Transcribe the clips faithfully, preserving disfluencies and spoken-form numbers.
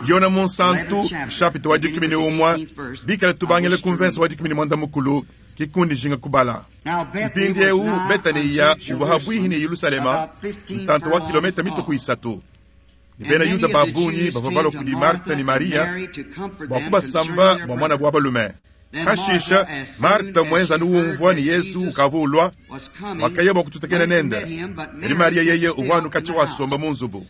Yone Munsantu, nshapita wa dikumi ne umue, bikale tubangile ku mvese wa dikumi ne muanda mukulu, ke kundi njinga kubala. Mpindieu Betaniya uvua pabuipi ne Yelushalema, ntanta wa kilometa mitue ku isatu. Ne bena Yuda ba bungi bavua balua kudi Marta ne Mariya bua kubasamba bua muanabu wa balume. Pashishe Marta muenza anu umvua ne Yezu ukavua ulua, wakaya bua kututakena nende. Kadi Mariya yeye uvua anu katshia wasomba mu nzubu.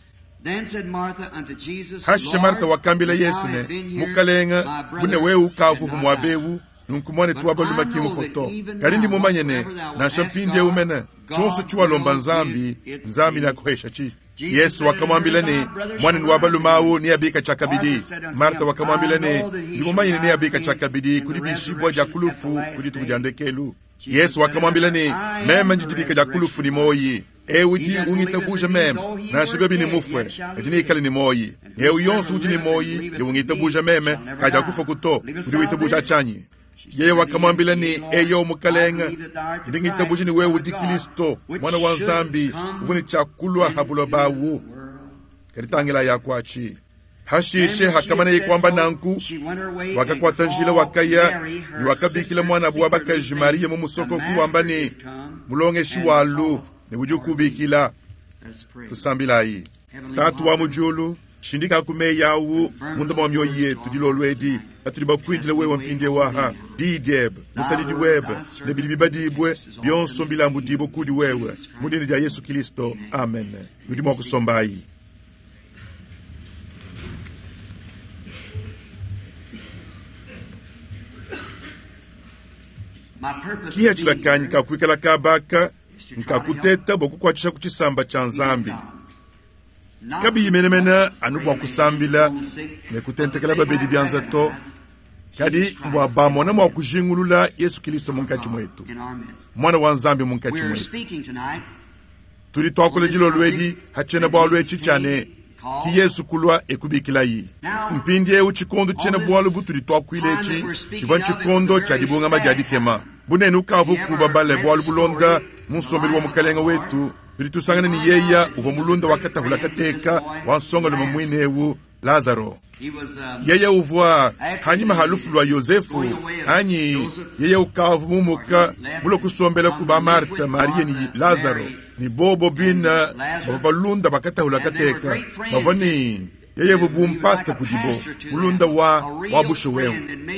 Pashishe Marta wakambila Yesu ne, Mukalenge, bu ne wewe ukavua muaba eu, nunku muanetu wa balume ki mufue to. Kadi ndi mumanye ne, nansha mpindieu mene, tshionso tshiwalomba Nzambi, Nzambi neakuheshatshi. Yesu wakamuambila ne, muanenu wa balume au neabika tshiakabidi. Marta wakamuambila ne, ndi mumanye ne neabika tshiakabidi ku dibishibua dia ku lufu ku dituku dia ndekelu. Yesu wakamuambila ne, meme ndi dibika dia ku lufu ne muoyi. Eu udi ungitabuja meme, nansha biobi ne mufue, kadi neikale ne muoyi. Eu yonso udi ne muoyi ne ungitabuja meme, kadi akufa to. Udi witabuja tshianyi? Yeye wakamuambila ne, eyo Mukalenge, ndi ngitabuja ne wewe udi Kristo, mwana wa Nzambi, uvua ne tshiakulua ha buloba awu. Kadi tangila yakuatshi. Hashishe hakamaneye kuamba nanku, wakakuata njila wakaya ne wakabikila muanabu wa bakaji Mariya mu musoko kuwamba ne, mulongeshi walu ne udi ukubikila. Tusambilayi. Tatu wa mu diulu, shindika ku meyi awu munda mua mioyo yetu dilolo edi, atudi bakuindile wewe mpindieu aha, diyi diebe, musadidi webe, ne bidi bibadibue bionso mbilambudibue kudi wewe mu dina dia Yesu Kristo, amen. Nudi mua kusombayi. Kihachila kanyi ka kuikala kabaka nkakuteta bua kukuatshisha ku tshisamba tshia Nzambi. Kabiyi menemene anu bua kusambila ne kutentekela babedi bianza to, kadi mbua bamona mua kujingulula Yesu Kristo munkatshi muetu, mwana wa Nzambi munkatshi muetu. Tudi tuakula dilolo edi ha tshiena-bualu etshi tshia ne, ki Yesu kulua ekubikilayi. Mpindieu tshikondo tshiena-bualu butudi tuakuila etshi tshivua tshikondo tshia dibungama dia dikema. Bunene ukavua kubabale bualu bulonda mu nsombelu wa mukalenge wetu, tudi tusangana ne yeya uvua mulunda wa katahula kateka wa nsongalume muine eu Lazaro. Yeye uvua hanyima ha lufu lua Yosefu, anyi yeye ukavua mumuka mulue kusombela ku ba Marta, Maria ne Lazaro, ne bobo bina bavua balunda bakatahula kateka, bavua ne yeye uvua bu mpasta kudibo, mulunda wa wa bushuwa.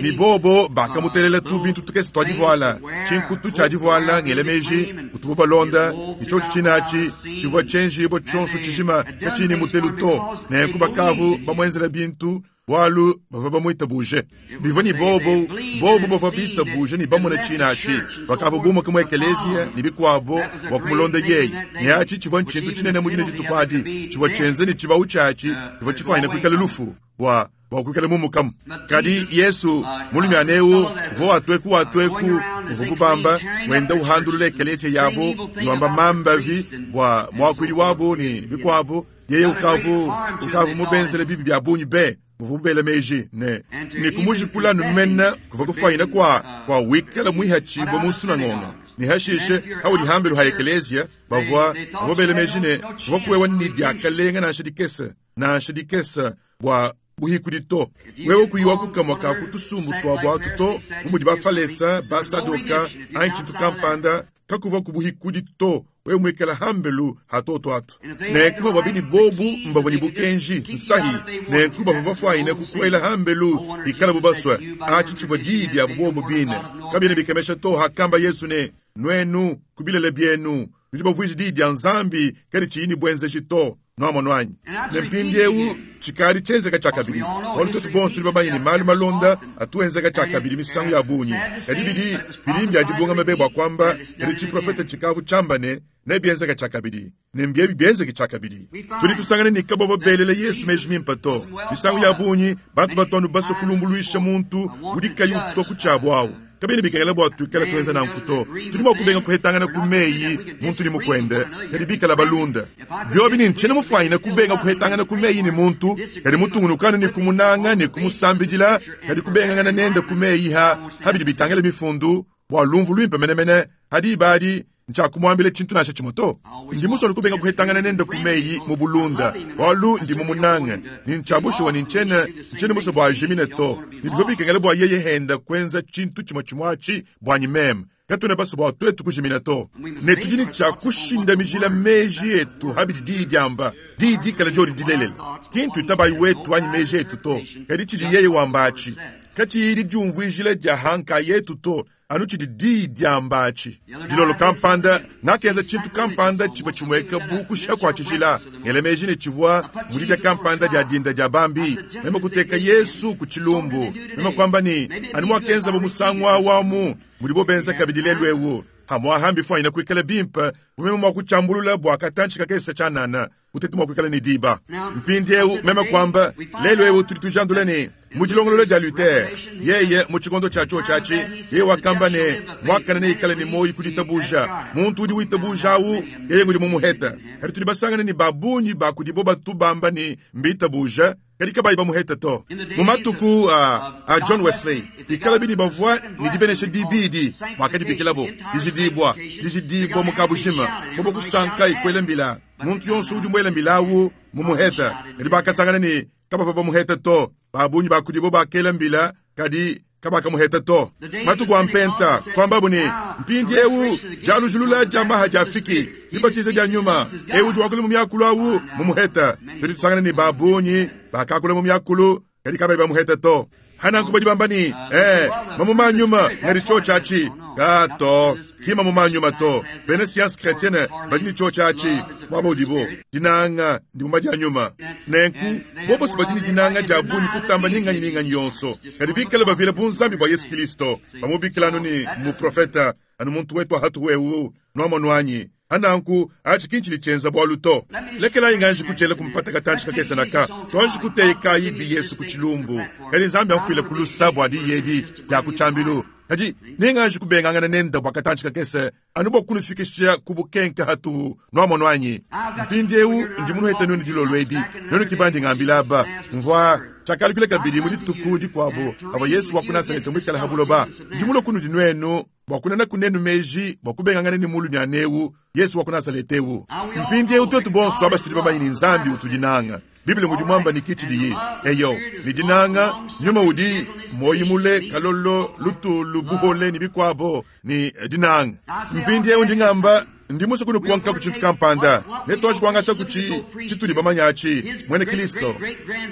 Ne bobo bakamutelela tu bintu tukese tua divuala, tshinkutu tshia divuala ngele meji utubo balonda, ne tshiotshi tshinachi tshivua tshienjibo tshionso tshijima katshini mutelu to, nenku bakavu bamuenzela bintu bualu bavua bamuitabuje. Bivua ne bobo, bobo bavua bitabuje ne bamona tshinachi, bakavua bumuka mu ekeleziya ne bikuabo bua kumulonda yeye. Ne atshi tshivua ntshintu tshinene mu dina dituku adi, tshivua tshienze ne tshibawu tshiatshi tshivua tshifuanyine kuikala lufu bua bua kuikala mumukamu. Kadi Yesu mulumiane eu uvua watueku watueku uvua kubamba wenda uhandulula ekeleziya yabo ne wamba mambavi bua muakuidi wabo ne bikuabo. Yeye ukavu ukavu mubenzele bibi bia bungi be muvua bela meji ne ne kumujikula numena kuva kufuanyina kwa kwa wikala mwihatshibua mu nsunangonga. Ne hashishe haudi hambelu ha ekeleziya bavua bavua bela meji ne bavua kuwewa ni diakalenga nansha dikese nansha dikese bua buhikudi to. Wewe kuyiwa kukamua ka kutusumbu tua buatu to, bu mudi bafalesa basadoka anyi tshintu kampanda kakuva kubuhikudi to. Wewe mwikala hambelu hatoto atu nenku bavua bidi bobu mbavua ne bukenji nsahi, nenku bavua bafuanyine kukuela hambelu ikala bubasue. Atshi tshivua diyi diabu bobu bine. Kabiena bikemesha to hakamba Yesu ne, nuenu ku bilele bienu nudi bavuije diyi dia Nzambi kadi tshiyi ne buenzeji to. Nuamono anyi? Ne mpindieu tshikadi tshienzeka tshiakabidi. Bualu tuetu bonso tudi bamanye ne malu malonda atuenzeka tshiakabidi misangu ya bungi. Kadi bidi bidi mbia dibungama be bua kuamba kadi tshiprofete tshikavu tshiamba ne nebienzeka tshiakabidi, ne mbiebi bienzeke tshiakabidi. Tudi tusangana ne kabavua belele Yesu meji mimpe to. Misangu ya bungi bantu batu basue kulumbuluisha muntu udi kayi utua ku tshiabu awu. Kabiena bikengela bua tuikale tuenza nanku to. Tudi mua kubenga kuhetangana ku meyi muntu ne mukuende, kadi bikala balunda. Biobi ne ntshiena mufuanyine kubenga kuhetangana ku meyi ne muntu, kadi mutungunukanu ne kumunanga ne kumusambidila, kadi kubengangana nende ku meyi ha habidi bitangila mifundu bua lumvu luimpe menemene hadi ibadi Ntshiakumuambila tshintu nansha tshimue to. Ndi musue kubenga kuhetangana nende ku meyi mu bulunda, bualu ndi mumunange, ne ntshia bushuwa ne ntshiena ntshiena musue bua ajimine to. Ne bivua bikengela bua yeye henda kuenza tshintu tshimue tshimue atshi buanyi meme. Katuena basue bua tuetu kujimina to. Ne tudi ne tshia kushindamijila meji etu habidi diyi diamba, diyi dikala diodi dilelela. Ki ntuitabayi wetu anyi meji etu to, kadi tshidi yeye wamba atshi. Katshiyi didiumvuijila dia hanka yetu to, anu tshidi diyi diamba atshi. Dilolo kampanda, ngakenza tshintu kampanda tshivua tshimueka bu kushiha kua tshijila. Ngela meji ne tshivua mu didia kampanda dia dinda dia bambi. Meme kuteka Yesu ku tshilumbu. Meme kuamba ne, anu muakenzabo musangu awu amu, mudibo benza kabidi lelu ewu. Hamuaha mbifuanyine kuikala bimpe, bu meme mua kutshiambulula bua katantshi kakese tshianana, kuteta mua kuikala ne diba. Mpindieu meme kuamba, lelu ewu tudi tujandula ne, mu dilongolola dia Luther, yeye mu tshikondo tshia tshiotshi atshi, yeye wakamba ne, muakane neikale ne muoyo ku ditabuja. Muntu udi witabuja awu, yeye ngudi mumuheta. Kadi tudi basangane ne ba bungi ba kudibo batu bamba ne mbitabuja, kadi kabayi bamuheta to. Mu matuku a, a John Wesley, bikala bini bavua ne dibenesha dibidi mwakadibikilabo, dijidibua, dijidibua mu kabujima, bobo kusanka ikwela mbila. Muntu yonso udi muela mbila awu mumuheta. Kadi bakasangana ne kabavua bamuheta to. Ba bungi ba kudibo bakela mbila, kadi kabakamuheta to. Matuku a mpenta, kuambabu ne, mpindiewu dialujulula dia maha dia fiki, dibatiza dia nyuma, ewu udi wakula mu miakulu awu mumuheta. Tudi tusangana ne ba bungi bakakula mu miakulu, kadi kabayi bamuheta to. Hananku badi bamba ne, eh, mamuma nyuma ngadi tshiotshi atshi. Ka to, ki mamuma nyuma to. Bena science chrétienne badi ne tshiotshi atshi, muaba udibo. Dinanga ndimuma dia nyuma. Nenku, bobosi badi ne dinanga dia bungi kutamba ninganyi ninganyi yonso. Kadi bikale bavila bunzambi bua Yesu Kristo, bamubikila anu ne muprofeta, anu muntu wetu hatu wewu, nuamonuanyi. Hananku, atshi kinchi tshienza bualu to. Lekelayi nganji kuchela kumpata katantshi kakese naka. Tuanji kutekayi bi Yesu ku tshilumbu. Kadi Nzambi amfuile kulusa bua diyi edi dia ku tshiambilu. Kadi ninganji kubengangana nende bua katantshi kakese, anu bua kunufikisha ku bukenke hatu, nuamonuanyi. Mpindiewu ndi munuheta nuenu dilolo edi. Nuenu kibandi ngambila aba, mvua tshiakalikula kabidi mu dituku dikuabu, avua Yesu wa ku Nazarete muikale ha buloba. Ndi mulue kunudi nuenu bua kunena kunenu meji bua kubengangana ne mulumiana ewu, Yesu wa ku Nazarete ewu. Mpindiewu tuetu bonso aba tudi bamanye ne Nzambi utudinanga. Biblia mudi mwamba ni kichidiyi. Eyo, ni dinanga, nyuma udi moyi mule, kalolo, lutulu, buhole ni bikwabo, ni dinanga. Mpindiewu ndi ngamba, ndi musue kunukonka ku tshintu kampanda. Ne tuanji kuangata ku tshi, tshitudi bamanye atshi, mwene Kristo.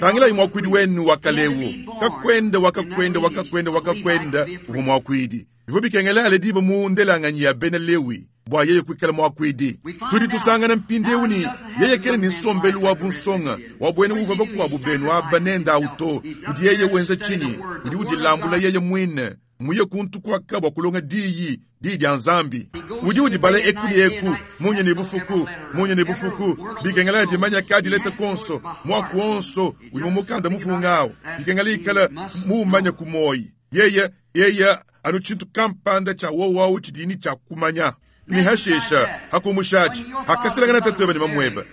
Tangilayi mwakwidi wenu wa kalewu. Kakwenda, wakakwenda, wakakwenda, wakakwenda, uvua mwakwidi. Bivua bikengela alediba mu ndelanganyi ya Bena Lewi bua yeye kuikala mwakwidi. Tudi tusangana mpindiewu ne yeye kena ne nsombelu wa bunsonga, wa buena uvua bakuabu benu aba nenda awu to. Udi yeye wenza tshinyi? Udi udilambula yeye muine, muye kuntu kuaka bua kulonga diyi, diyi dia Nzambi. Udi udibala eku ne eku, munye ne bufuku, munye ne bufuku, bikengela dimanya kadileta konso, mwaku onso udi mu mukanda mufunga awu. Bikengela ikala muumanya ku moyi. Yeye, yeye anu tshintu kampanda tshia wowawu tshidini tshia kumanya. Ni hashesha, hakumushachi, hakaselangana tatuebe ne mamweba,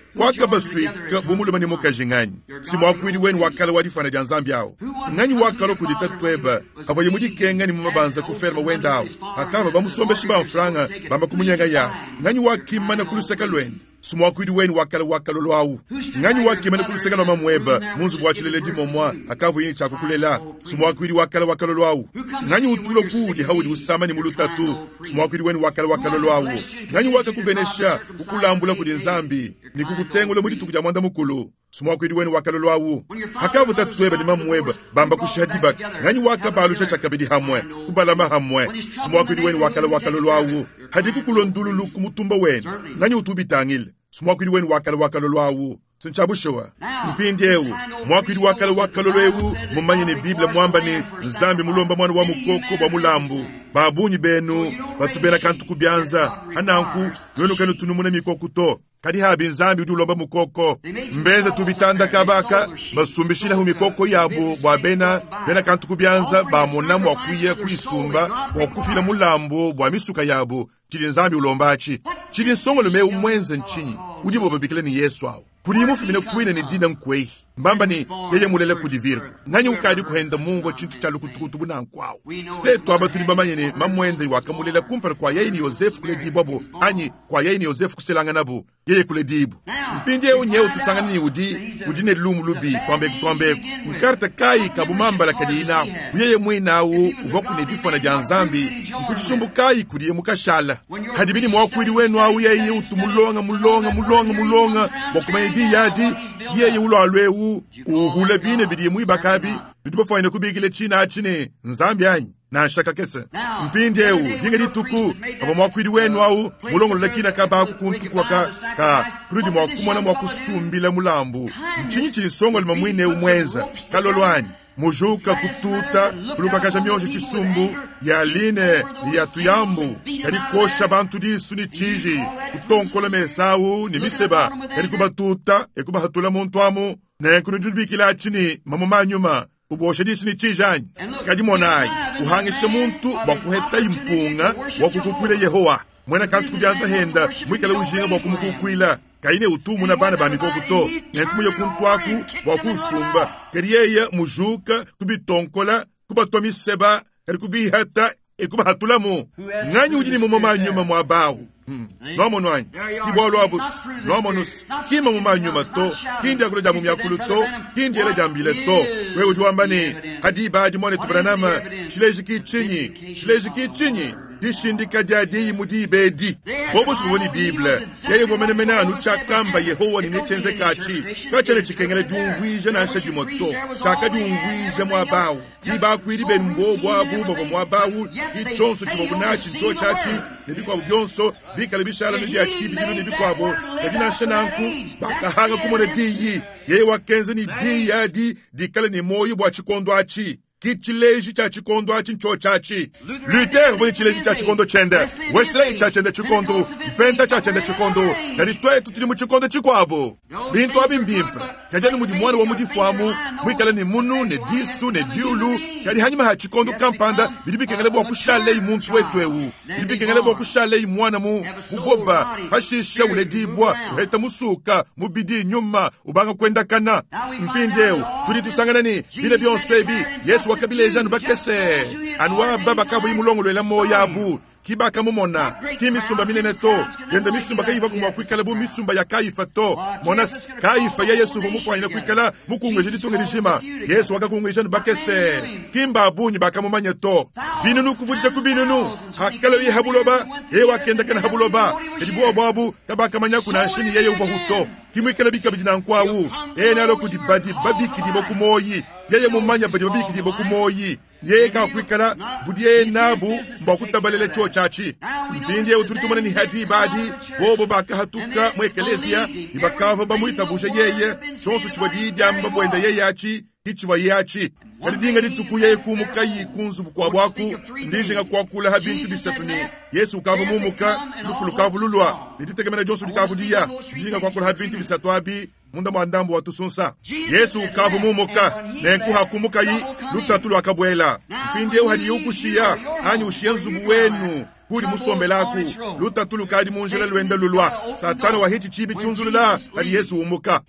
kwakabaswika bu mulume ne mukaji nganyi. Si mwakwidi wenu wakala wa difana dia Nzambi awu. Nganyi wakala kudi tatuebe, avua mudikenga ne mumabanza ku ferme wenda awu. Hakava bamusombeshi ba mfranga, bamba kumunyenga ya. Nganyi wakimana ku luseke luende. Si mwakwidi wenu wakala wakalolo awu. Nganyi wakimana ku luseke lua mamweba, mu nzubu wa tshileledi momwa, hakava yini tshia kukulela. Si mwakwidi wakala wakalolo awu. Nganyi utulo kuudi haudi usama ni mulutatu. Si mwakwidi wenu wakala wakalolo awu. Nganyi wakakubenesha, kukulambula kudi Nzambi, ni kukutengula mu dituku dia mwanda mukulu. Si mwakwidi wenu wakalolo awu. Hakavu tatueba ne mamweba, bamba kushiha dibaka. Nganyi wakabalusha tshiakabidi hamwe, kubalama hamwe. Si mwakwidi wenu wakala wakalolo awu. Hadi kukulondululu ku mutumba wenu. Nganyi utubitangile. Si mwakwidi wenu wakala wakalolo awu. Sinchabushowa. Mpindiewu, mwakwidi wakala wakalolo ewu, mumanye ne Biblia mwamba ne Nzambi mulomba mwana wa mukoko bwa mulambu. Ba bungi benu batubela kantu ku byanza. Hananku, nuenu kanu tunumuna mikoko to. Kadi habi Nzambi udi ulomba mukoko. Mbeze tubitanda kabaka, basumbishilahu mikoko yabo bwa bena, bena kantu ku byanza, bamona mwa kuya kuisumba, bwa kufila mulambu bwa misuka yabo. Chidi Nzambi ulomba achi. Chidi nsongolume umwenze nchinyi. Udi bobabikila ni Yesu awu. Kudiye mufumine kuine ne dina nkwehi. Mbamba ne, Yeye mulela kudi Virgo. Nganyi ukadi kuhenda mumvua tshintu tshia lukutukutu bu nanku awu? Tuetu aba tudi bamanye ne, mamuende wakamulela kumpala kua yeye ne Yozefe kuledibwabo, anyi kua yeye ne Yozefe kuselanganabo, yeye kuledibu. Mpindieu nyewu tusangana ne udi, udi ne lumu lubi, twambeku twambeku. Nkarta kayi ka bumambala kadiyi naku? Bu yeye muine awu uvuaku ne difwana dia Nzambi, nku tshisumbu kayi kudiye mukashala? Hadibi ne muakuidi wenu awu yeye utu mulonga, mulonga, mulonga, mulonga bua kumanya diyi adi, ki yeye ulua eu uhula bine bidiye muibaka abi, nudi bafwanyine kubikila tshina atshi ne Nzambi anyi? Nansha kakese. Mpindieu dinga dituku pavua muakuidi wenu au mulongolole kina kaba aku kuntu kua ka, ka kunudi mua kumona mua kusumbila mulambu, ntshinyi tshidi nsongalume muine eu muenza? Kalolo anyi? Mujuka kututa kulukakaja mionji tshisumbu ya line ne ya tuyambu, kadi kuosha bantu disu ne tshiji, kutonkola mesa au ne miseba, kadi kubatuta e kubahatula muntu amu. Nenku nudi nubikila atshi ne mamuma a nyuma, ubosha disu ne tshiji anyi? Kadi monayi, uhangisha muntu bua kuhetayi mpunga wa kukukuila Yehowa, muena kantu ku bianza henda muikale ujinga bua kumukukuila, kayi ne utumuna bana ba mikoko to, nenku muye kuntu aku bua kusumba. Kadi yeye mujuka kubitonkola, kubatua miseba, kadi kubihata e kubahatulamu. Nganyi udi ne mamuma a nyuma muaba awu? Hmm. Nwamonu anyi? Ki bualu abu. Nwamonu, ki mamuma a nyuma to, ki ndiakula dia mu miakulu to, ki ndiela dia mbila to. Wewe udi wamba ne, Hadi badi muanetu Branham, tshileji ki tshinyi? Tshileji ki tshinyi? Dishindika dia diyi mu diba edi. Bobo si bavua ne Bible. Yeye uvua menemene anu tshiakamba Yehowa ne netshienzeka atshi. Katshiena tshikengela diumvuija nansha dimue to. Tshiakadiumvuija muaba au. Ki bakuidi benu mbobu abu bavua muaba au, ki tshionso tshivuabu natshi ntshiotshi atshi, ne bikuabu bionso bikale bishala ne bia tshibidilu ne bikuabu. Kadi nansha nanku bakahanga kumona diyi. Yeye wakenza ne diyi adi dikale ne muoyo bua tshikondo atshi. Ki tshileji tshia tshikondo atshi ntshiotshi atshi. Luther uvua ne tshileji tshia tshikondo tshiende, Wesley tshia tshiende tshikondo, Mpenta tshia tshiende tshikondo, kadi tuetu tudi mu tshikondo tshikuabu. Bintu abi mbimpe, kadi anu mudi muana wa mu difu amu muikale ne munu ne disu ne diulu, kadi hanyima ha tshikondo kampanda bidi bikengela bua kushaleyi muntu wetu eu, bidi bikengela bua kushaleyi muana mu bugoba, pashishe uledibua, uheta musuka, mubidi, nyuma, ubanga kuendakana. Mpindieu tudi tusangana ne bine bionso ebi Yesu wakabileja anu bakese, anu aba bakavua mulongoluela muoyo abu, ki bakamumona, ki misumba minene to, yenda misumba kayivaku mua kuikala bu misumba ya Kayifa to. Mona, Kayifa ya Yesu uvua mufuanyine kuikala mukunguije ditunga dijima. Yesu wakakunguija anu bakese, ki mba bungi bakamumanya to. Binunu kuvudija ku binunu, hakaloye ha buloba, yeye wakendakana ha buloba, kadi buobu abu kabakamanyaku nansha ne yeye uvuahu to. Ki muikale bikabidi nanku awu, yeye nealue kudi badi babikidibua ku muoyi, yeye mumanya badi babikidibua ku muoyi. Yeye kakuikala budiye nabu mbua kutabalela tshiotshi atshi. Mpindieu tudi tumona ne hadi badi bobo bakahatuka mu ekeleziya ne bakavua bamuitabuja yeye, tshionso tshivua diyi diamba buenda yeye atshi ki tshivua ye atshi. Kadi dinga dituku yeye kumukayi ku nzubu kuabu aku, ndijinga kuakula ha bintu bisatu ne Yesu ukavua mumuka, lufu lukavua lulua ne ditekemena dionso dikavua diya. Ndijinga kuakula ha bintu bisatu abi munda mua ndambu wa tusunsa. Yesu ukavua mumuka, nenku hakumukayi lutatu luakabuela. Mpindieu hadiye ukushiya anyi ushiya nzubu wenu kudi musombelaku, lutatu lukadi mu njila luenda lulua. Satana wahitshi tshibi tshiunzulula hadi Yesu umuka.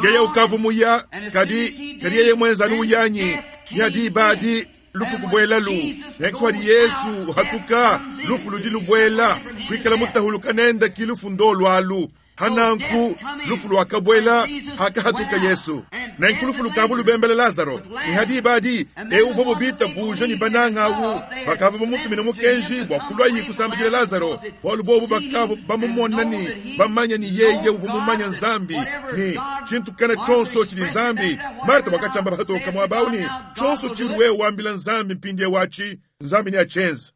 Yeye ukavua muya, kadi kadi yeye muenza anu uyanyi ki diba adi lufu kubuelalu. Nenku hadi Yesu uhatuka, lufu ludi lubuela. Kuikala mutahuluka nenda ki lufu ndolualu. Hananku lufu luakabuela hakahatuka Yesu. Nenku lufu lukavu lubembela Lazaro. Ne hadi badi eu uvua bubita buja ne bananga awu bakavua bamutumina mukenji bua kuluayi kusambidila Lazaro, bualu bobu bakavua bamumona ne bamanya ne yeye uvua mumanya Nzambi ne tshintu kana tshionso tshidi Nzambi. Marta wakatshiamba patoka muaba awu ne tshionso tshiudi wewe wambila Nzambi mpindieu atshi Nzambi neatshienze.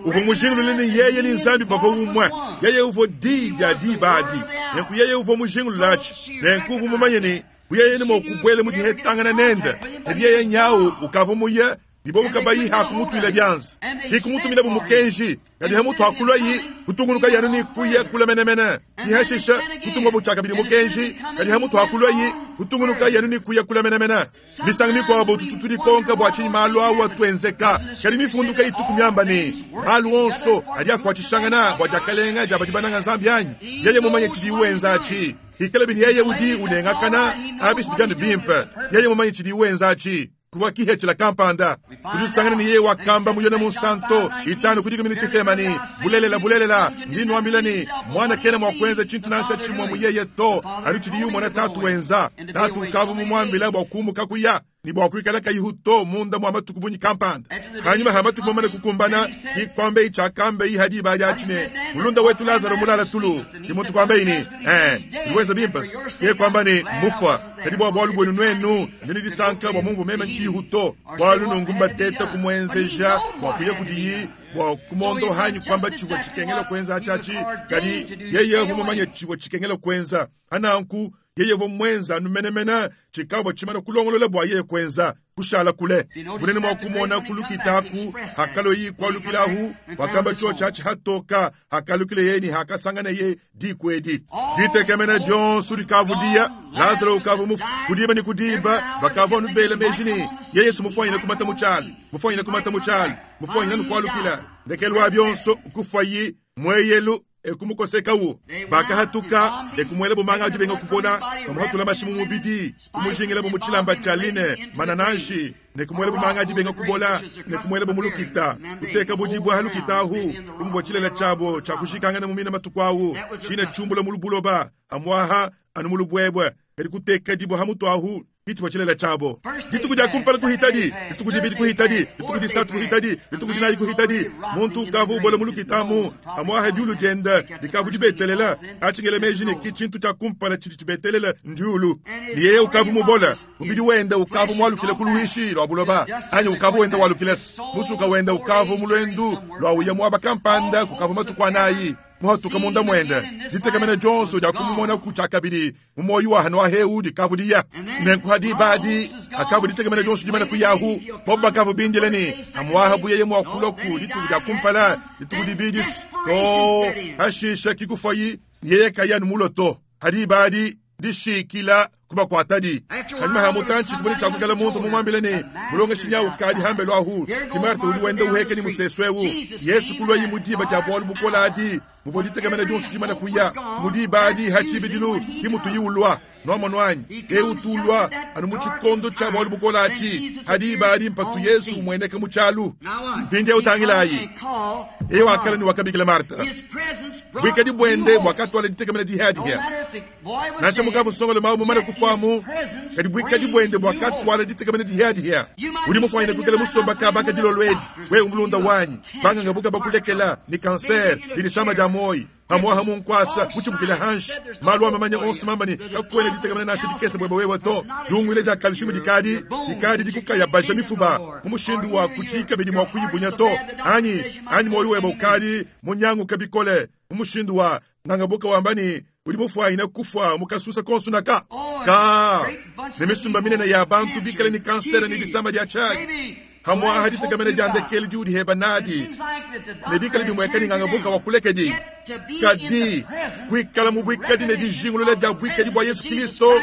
Uvua mujingulule ne yeye ne Nzambi bavua umue. Yeye uvua diyi dia diba adi. Nenku yeye uvua mujingulule atshi. Nenku uvua mumanye ne yeye ne mua kubuela mu dihetangana nende. Kadi yeye nyawu ukavua muye, ne bobu kabayi hakumutuila bianza. Ki kumutuminabu mukenji. Kadi hamutu hakuluayi kutungunuka yanu ne kuya kula menemene. Ki hashisha kutungabu tshiakabidi mukenji. Kadi hamutu hakuluayi kutungunuka yanu ne kuya kula menemene. Misangu mikuabu tutu tudikonka bua tshinyi malu awu atuenzeka. Kadi mifundu kayituku miamba ne malu onso adi akuatshishangana bua diakalenga dia badi bananga Nzambi anyi? Yeye mumanye tshidi wenza atshi. Bikalabi ne yeye udi unengakana, abi si bidi anu bimpe. Yeye mumanye tshidiye wenza atshi. Kuvua kihethela kampanda. Tudi tusangana ne yeye wakamba mu Yone Munsanto itanu ku dikumi ne tshitema ne, Bulelela, bulelela, ndi nnuambila ne, Muana kena mua kuenza tshintu nansha tshimue mu yeye to, anu tshidiye umona Tatu wenza. Tatu ukavua mumuambila bua kumuka kuya ne bua kuikala kayihu to munda mua matuku bungi kampanda. Panyima ha matuku mamane kukumbana, ki kuambeyi tshiakambeyi ha diba adi atshi ne, Mulunda wetu Lazaro mulala tulu. Ki muntu kuambeyi ne, Ee, udi wenza bimpe. Ke kuamba ne, Mmufua. Kadi bua bualu buenu nuenu, ndi ne disanka bua mumvua meme ntshiyihu to, bualu nunku mbateta kumuenzeja bua kuya kudiyi bua kumondoha anyi kuamba tshivua tshikengela kuenza atshi atshi. Kadi yeye uvua mumanye tshivua tshikengela kuenza. Pananku yeye uvua muenza anu menemene tshikavua tshimana kulongolola bua yeye kuenza, kushala kule. Bunene mua kumona ku lukita aku, hakaloyi kualukilahu, wakamba tshiotshi atshi hatoka, hakalukile yeye ne hakasanganeye diku edi. Ditekemena dionso dikavudiya, Lazalo ukavua mufue. Ku diba ne ku diba bakavua anu bela meji ne, yeye si mufuanyine kumata mu tshialu, mufuanyine kumata mu tshialu, mufuanyine anu kualukila. Ndekelu wa bionso kufuayi mueyelu e kumukosekawu. Bakahatuka e kumuelabo manga a dibenga kubola, bamuhatula mashi mu mubidi, kumujingilabo mu tshilamba tshia line, manananshi, ne kumuelabo manga a dibenga kubola, ne kumuelabo mu lukita, kutekabo dibue ha lukita ahu, bu muvua tshilele tshiabo tshia kujikangana mu mina matuku awu, tshine tshiumbula mu buloba, amuaha anu mu lubuebue, kadi kuteka dibue ha mutu ahu. Ditshivua tshilele tshiabo. Dituku dia kumpala kuhitadi, dituku dibidi kuhitadi, dituku disatu kuhitadi, dituku dinayi kuhitadi, muntu ukavua ubola mu lukita amu, amuaha diulu diende dikavua dibetelela. Atshi ngela meji ne ki tshintu tshia kumpala tshidi tshibetelela ndiulu. Ne yeye ukavua mubole, mubidi wende ukavua mualukile ku luishi lua buloba, anyi ukavua wenda walukilese. Musuka wende ukavua mu luendu lua uya muaba kampanda kukavua matuku anayi. Muhatuka munda muende ditekemena dionso dia kumumona ku tshiakabidi mu muoyo wa hano ahewu dikavudiya. Nenku ha diba adi hakavua ditekemena dionso dimana kuyahu, bobo bakavua bindile ne amuaha bu yeye mua kulua ku dituku dia kumpala, dituku dibidi to hashisha kikufuayi, yeye kayi anu mulue to. Ha diba adi dishikila kubakuatadi. Panyima ha mutantshi kuvua ne tshia kuikala muntu mumuambile ne, Mulongeshi nyau ukadi hambelu ahu. Ke Marta udi wenda uheka ne musesu eu. Yesu kuluayi mu diba dia bualu bukole adi, muvua ditekemena dionso dimane kuya. Mu diba adi ha tshibidilu ki mutuyi ulua. Nuamonu anyi? Eu utu ulua anu mu tshikondo tshia bualu bukole atshi. Ha diba adi mpatu Yesu umueneka mu tshialu. Mpindieu tangilayi. Yeye wakala ne wakabikila Marta. Buikadi buende buakatuala ditekemena dihiadihia. Nansha mukavua nsongalume au mumane kufuamu, kadi buikadi buende buakatuala ditekemena dihiadihia. Udi mufuanyine kuikala musomba kaba ka dilolo edi, wewe mulunda wanyi, banganga buka bakulekela ne kansere ne disama dia muoyo, pamuaha mu nkuasa mutshibukile hanshi. Malu a mamanya onso mamba ne kakuena ditekemena nansha dikese buebe wewe to. Diunguila dia calcium dikadi dikadi dikukayabaja mifuba mu mushindu wa kutshiyi kabidi mua kuyibunya to, anyi anyi muoyo webe ukadi munyanguke bikole mu mushindu wa nganga buka wamba ne udi mufuanyine kufua mu kasusa konso naka ka ne misumba minene ya bantu bikale ne kansere ne disama dia tshiadi hamuaha ditekemena dia ndekelu diudi heba nadi ne bikale bimueka ne nganga buka wa kulekedi. Kadi kuikala mu buikadi ne dijingulula dia buikadi bua Yesu Kristo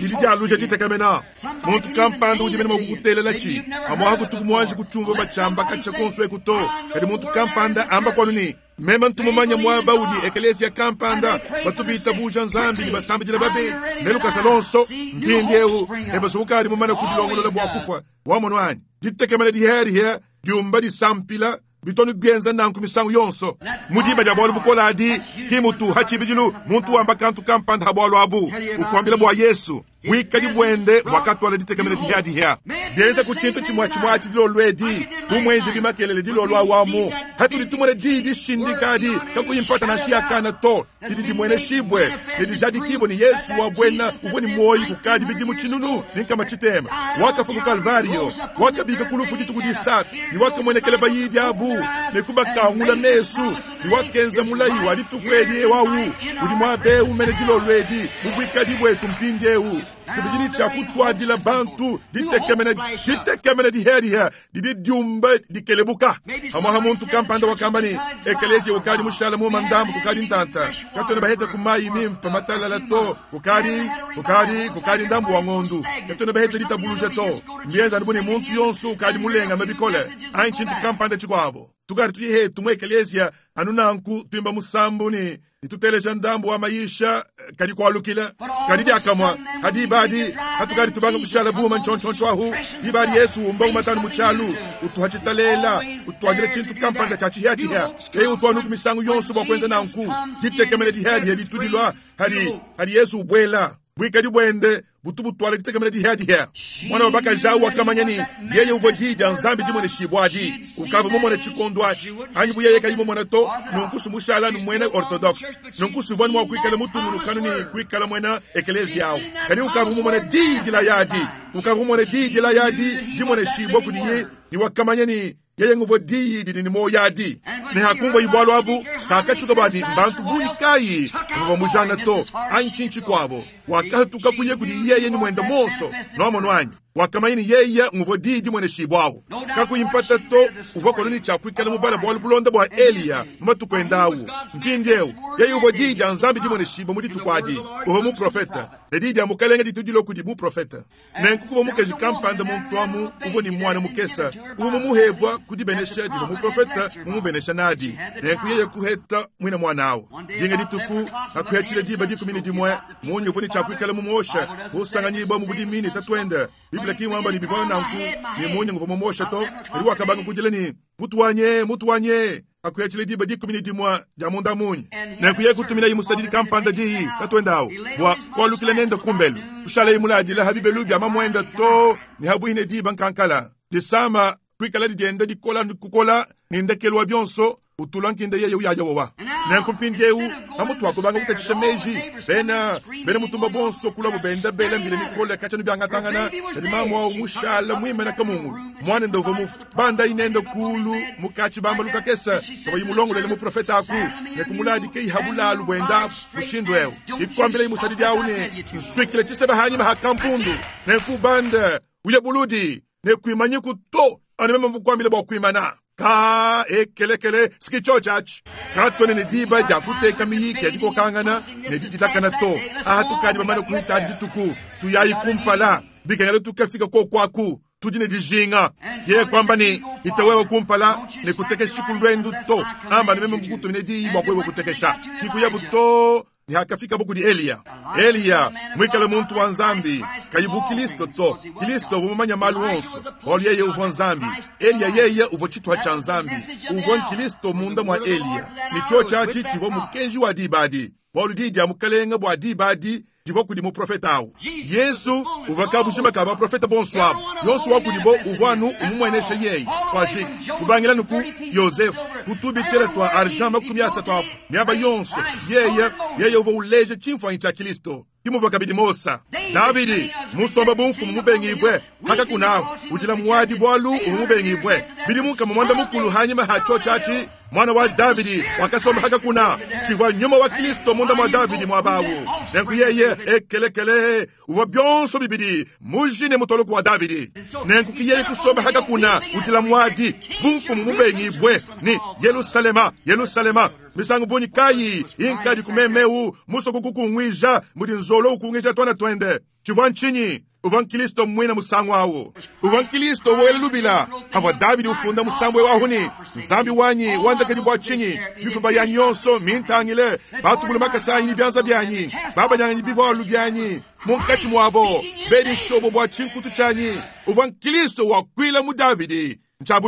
didi dialuja ditekemena. Muntu kampanda udi mene mua kukutelela tshi pamuaha kutuku muanji kutshiumvua batshiamba katshia konso eku to, kadi muntu kampanda amba kuanu ne, Meme ntu mumanye muaba udi ekeleziya kampanda batu bitabuja Nzambi ne basambidila babedi ne lukasa luonso. Mpindieu Ebesu ukadi mumane kudilongolola bua kufua. Wamonu anyi? Ditekemena dihiadihia diumba disampila bitonu bienza nanku misangu yonso. Mu diba dia bualu bukole adi, ki mutu ha tshibidilu muntu wamba kantu kampanda ha bualu abu, ukuambila bua Yesu. Buikadi buende buakatuala ditekemena dihiadihia. Bienza ku tshintu tshimue tshimue atshi dilolo edi, bu muenzebi makelele dilolo awu amu, hatudi tumona diyi dishindika adi kakuyi mpata nansha ya kana to, didi dimueneshibue ne dijadikibue ne Yesu wa buena uvua ne muoyo kukadi bidimu tshinunu ne nkama tshitema, wakafua ku Kalvario, wakabika ku lufu dituku disatu, ne wakamuenekela bayidi abu ne kubakangula mesu, ne wakenza mulayi wa dituku edi wawu udi muaba eu mene dilolo edi mu buikadi buetu mpindieu. Sibidi tshia kutuadila bantu ditekemena, ditekemena dihiadihia didi diumba dikelebuka. Pamuaha muntu kampanda wakamba ne, ekeleziya ukadi mushala muma ndambu kukadi ntanta, katuena baheta ku mayi mimpe matalala to, kukadi kukadi kukadi ndambu wa ngondu, katuena baheta ditabuluja to. Mbienza anu bu ne muntu yonso ukadi mulengame bikole anyi tshintu kampanda tshikuabo. Tukadi tudi hetu mu ekeleziya anu nanku tuimba musambu ne tuteleja ndambu wa mayisha kadi kualukila kadi diakamua hadi badi hatukadi tubanga kushala buma ntshontshontho ahu dibadi Yesu umba umatanu mu tshialu utuha tshitalela utuadila tshintu kampanda tshia tshihiatshihia yeye utuanuku misangu yonso bua kuenza nanku ditekemena dihiadiha ditudilwa hadi hadi Yesu ubwela bwikadi bwende butu butwala ditekemena dihiadiha mwana wa bakaji wakamanya ni yeye uvua diyi dia Nzambi dimone shibwadi ukava mumone tshikondo atshi anyi bu yeye kayi mumone to nunku mushala nu mwena orthodoxe nunku suvua mwa kuikala mutungulukanu ni kuikala mwena ekelezia awu kadi ukava mumone diyi dilayadi ukava mumone diyi dilayadi dimone shibwa kudiye ni wakamanya ni yeye nguvua diyi didi ni moyadi ne hakumva ibwalu abu kakachuka badi mbantu bunyi kayi bavua mujana to anyi tshintshi kwabo wakahatuka kuye kudi yeye ni mwenda monso noamono anyi wakamanya ni yeye nguvua diyi dimwene shibwawu kakuyimpata to uvua kononi tshia kuikala mubala bwalu bulonda bua Eliya mu matuku endawu mpindiewu yeye uvua diyi dia Nzambi dimwene shibwa mu dituku adi uvua muprofeta ne diyi dia mukalenge ditudilo kudi muprofeta nenku kuvua mukaji kampanda muntu amu uvua ni mwana mukesa uvua mumuhebwa kudibenesha divua muprofeta mumubenesha nadi nenku yeye kuheta mwina mwana awu dinga dituku akuhetshile diba dikumi ne dimwe munyi uvua ni tshia kuikala mumuosha usanganyibwa mu budimi ne tatuende Biblia kimwamba ni bivao nanku ni munyi nguvua mumuosha to kadi wakabanga kudila ni mutu wanye mutu wanye akuhetshile diba dikumi ne dimwe dia munda munyi nenku yeye kutumina imusadidi kampanda diyi tatuendawu bua kualukila nende kumbelu kushala imuladila habibelu bia mamwenda to ni habuhine diba nkankala disama kuikala didienda dikola kukola ni ndekelu wa bionso utula nkinde yeye uyaya wowa nenku mpindiewu pamutu akubanga kutatshisha meji bena bena mutumba bonso kula bubenda bela mbile mikole katshanu byangatangana kadi mamu awu mushala mwimena kamungu mwana ndovua mufu banda inende kulu mukatshi bamba lukakesa kaba imulongolele muprofeta aku nekumuladi ke ihabulalu bwenda mushindu ewu ikuambila imusadidi awu ne nswikile tshiseba hanyima ha kampundu nenkubanda uye buludi nekuimanyiku to ane meme mukuambile bua kuimana ka ekelekele sikicho chachi katone ne diba dia kuteka miyiki ya dikokangana ne didilakana to aha tukadi bamane kuhita dituku tuyayi kumpala bikengela tukafika kokwaku tudi ne dijinga ye kwamba ni itawewe kumpala ne kutekesha kulwendu to amba ne meme mukutumine diyi bua kwewe kutekesha kikuyabu to ni hakafika buku di Eliya Eliya mwikale muntu wa Nzambi kayibu Kristo to Kristo vumumanya malu onso bolu yeye uvua Nzambi Eliya yeye uvua tshituha tshia Nzambi uvua Kristo munda mwa Eliya ni cho tshiatshi tshivua mukenji wa dibadi bolu di dia mukalenga bua dibadi divua kudi muprofeta awu Yesu uvua kabushima ka baprofeta bonso abo yonso wa kudibo uvua anu umumuenesha yeye kwa jiki kubangila nuku Yosefu kutubitshela twa argent makumi asatu apo miaba yonso yeye yeye uvua uleja tshimfuanyi tshia Kristo kimuvua kabidi Mosa Davidi musomba bumfumu mubengibwe haka kunaho udila muwadi bwalu uvua mubengibwe bidi munkama mwanda mukulu hanyima ha cho tshiatshi mwana wa Davidi wakasomba haka kuna tshivua nyuma wa Kristo munda mwa Davidi mwabawu nenku yeye ekelekele uvua bionso bibidi mujine mutoloku wa Davidi nenku kiyeye kusomba haka kuna udila muwadi bumfumu mubengibwe ni Yerusalema Yerusalema misangu bunyi kayi inkadi kumemeu musoko kukungwija mudi nzolo ukungwija twana twende tshivua ntshinyi uvua Kristo mwina musangu awu uvua Kristo woela lubila havua Davidi ufunda musambu wahu ni Nzambi wanyi wandakadi bua tshinyi bifuba yanyi yonso mintangile batubulu makasa anyi ni byanza byanyi babanyanganyi bivualu byanyi munkatshi muabo bedi nshobo bua tshinkutu tshianyi uvua Kristo wakuila mu Davidi ntshia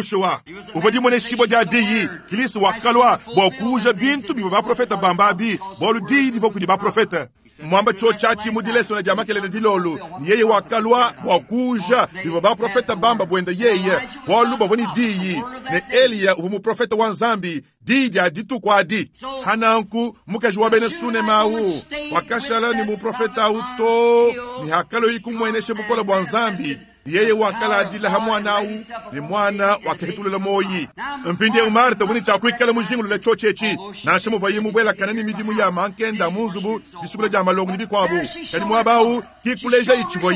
uvua dimone shibwa dia diyi Kristo wakalwa bua kuuja bintu bivua baprofeta bambabi bualu diyi divua kudi baprofeta mwamba cho tshiatshi mu dilesona dia makelele dilolu ni yeye wakalwa bua kuuja bivua baprofeta bamba bwenda yeye bualu bavua ni diyi ne Eliya uvua muprofeta wa Nzambi diyi dia dituku adi hananku mukaji wa bena Sunema awu wakashala ni muprofeta awu to ni hakalo ikumueneshe bukola bua Nzambi yeye wakala adila ha mwana awu ni mwana wakahitulela moyi mpindiewu Marta vuni tshiakuikala mujingulula tshotshetshi nansha muvayi mubwelakana ni midimu ya mankenda munzubu disukula dia malongo ni bikuabu kadi muaba awu kikuleja itshivua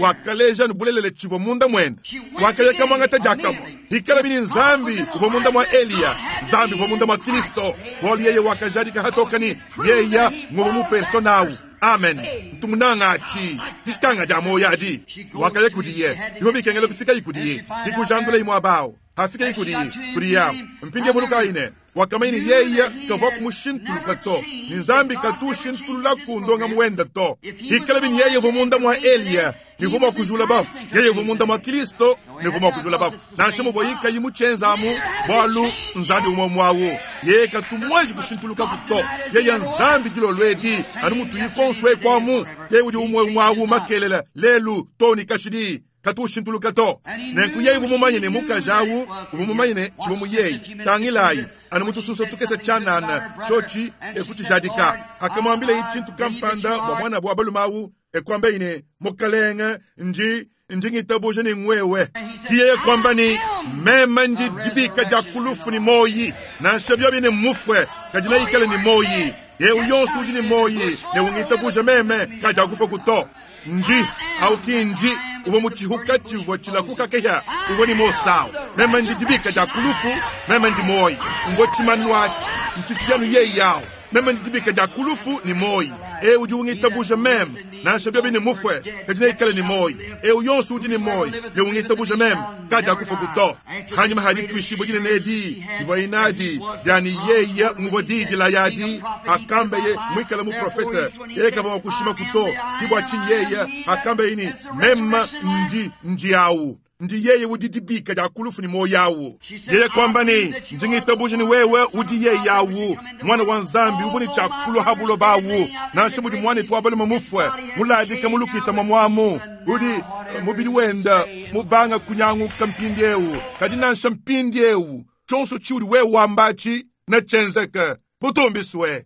wakaleja nubulelele tshivua munda mwenda wakayeka mwangata diakamua ikala bini Nzambi uvua munda mwa Eliya Nzambi uvua munda mwa Kristo bualu yeye wakajadika hatokani yeya nguvua mupersona awu Amen. Ntumunanga achi dikanga dia moyo adi wakaya kudiye bivua bikengela kufika ikudiye dikujandula imwe abawo Hafika kudi kudi yabu. Mpindiewu vulukayi ne wakamanya ne yeye kavua kumushintuluka to. Ni Nzambi katushintulula ndonga muwenda to. Ikala bini yeye uvua munda mwa Eliya ni vua mua kujula bafu. Yeye uvua munda mwa Kristo ni vua mua kujula bafu. Nansha muvua yikayi mutshenzamu bwalu Nzambi umwe mwawu. Yeye katumwanji kushintuluka kuto. Yeye Nzambi dilolwedi anu mutu yikonswe kwamu. Yeye udi umwe mwawu makelela lelu to ni kashidi. Katushintuluka to. Nenku yeye uvua ne mukajawu uvua ne tshivua yeye. Tangilayi anu mutususa tukesa tshanana chochi ekutshijadika. Akamwambila ichintu kampanda bwa mwana bwa balumawu ekwamba ine mukalenga nji njingitabuja ni ngwewe. Kiyeye kwamba ni mema nji dibika ja kulufu ni moyi. Nansha byobi ni mufwe kajina ikale ni moyi. Yewe yonsu udi ni moyi ne ungitabuja meme kaja kufa kuto. Nji au kinji uvo muchihuka chivwa chilakuka keya uvo ni mosawo meme ndi dibika ja kulufu meme ndi moyi ngo chimanwaki nchichiyanu ye yawo meme ndi dibika ja kulufu ni moyi e udi ungitabuja meme nansha byobi ni mufwe kajina ikale ni moyi e uyonsu udi ni moyi ne ungitabuja meme kaja kufa kuto hanyuma hadi tuishibo jine nedi ivo inadi yani yeya nguvo didi la yadi akambe ye mwikala mu profeta yeye kava kushima kuto ibwa chini yeya akambe ini mema nji nji yawu ndi yeye udi dibika ja kulufu ni moyawu yeye kwamba ni njingitabuja ni wewe udi yeye yawu mwana wa Nzambi uvuni chakulu habulo bawu nansha mudi mwana twabale mufwe muladika mulukita mamwamu udi mubili wenda mubanga kunyanguka mpindiewu kadi nansha mpindiewu chonso chiudi wewe wambachi na chenzeka butumbiswe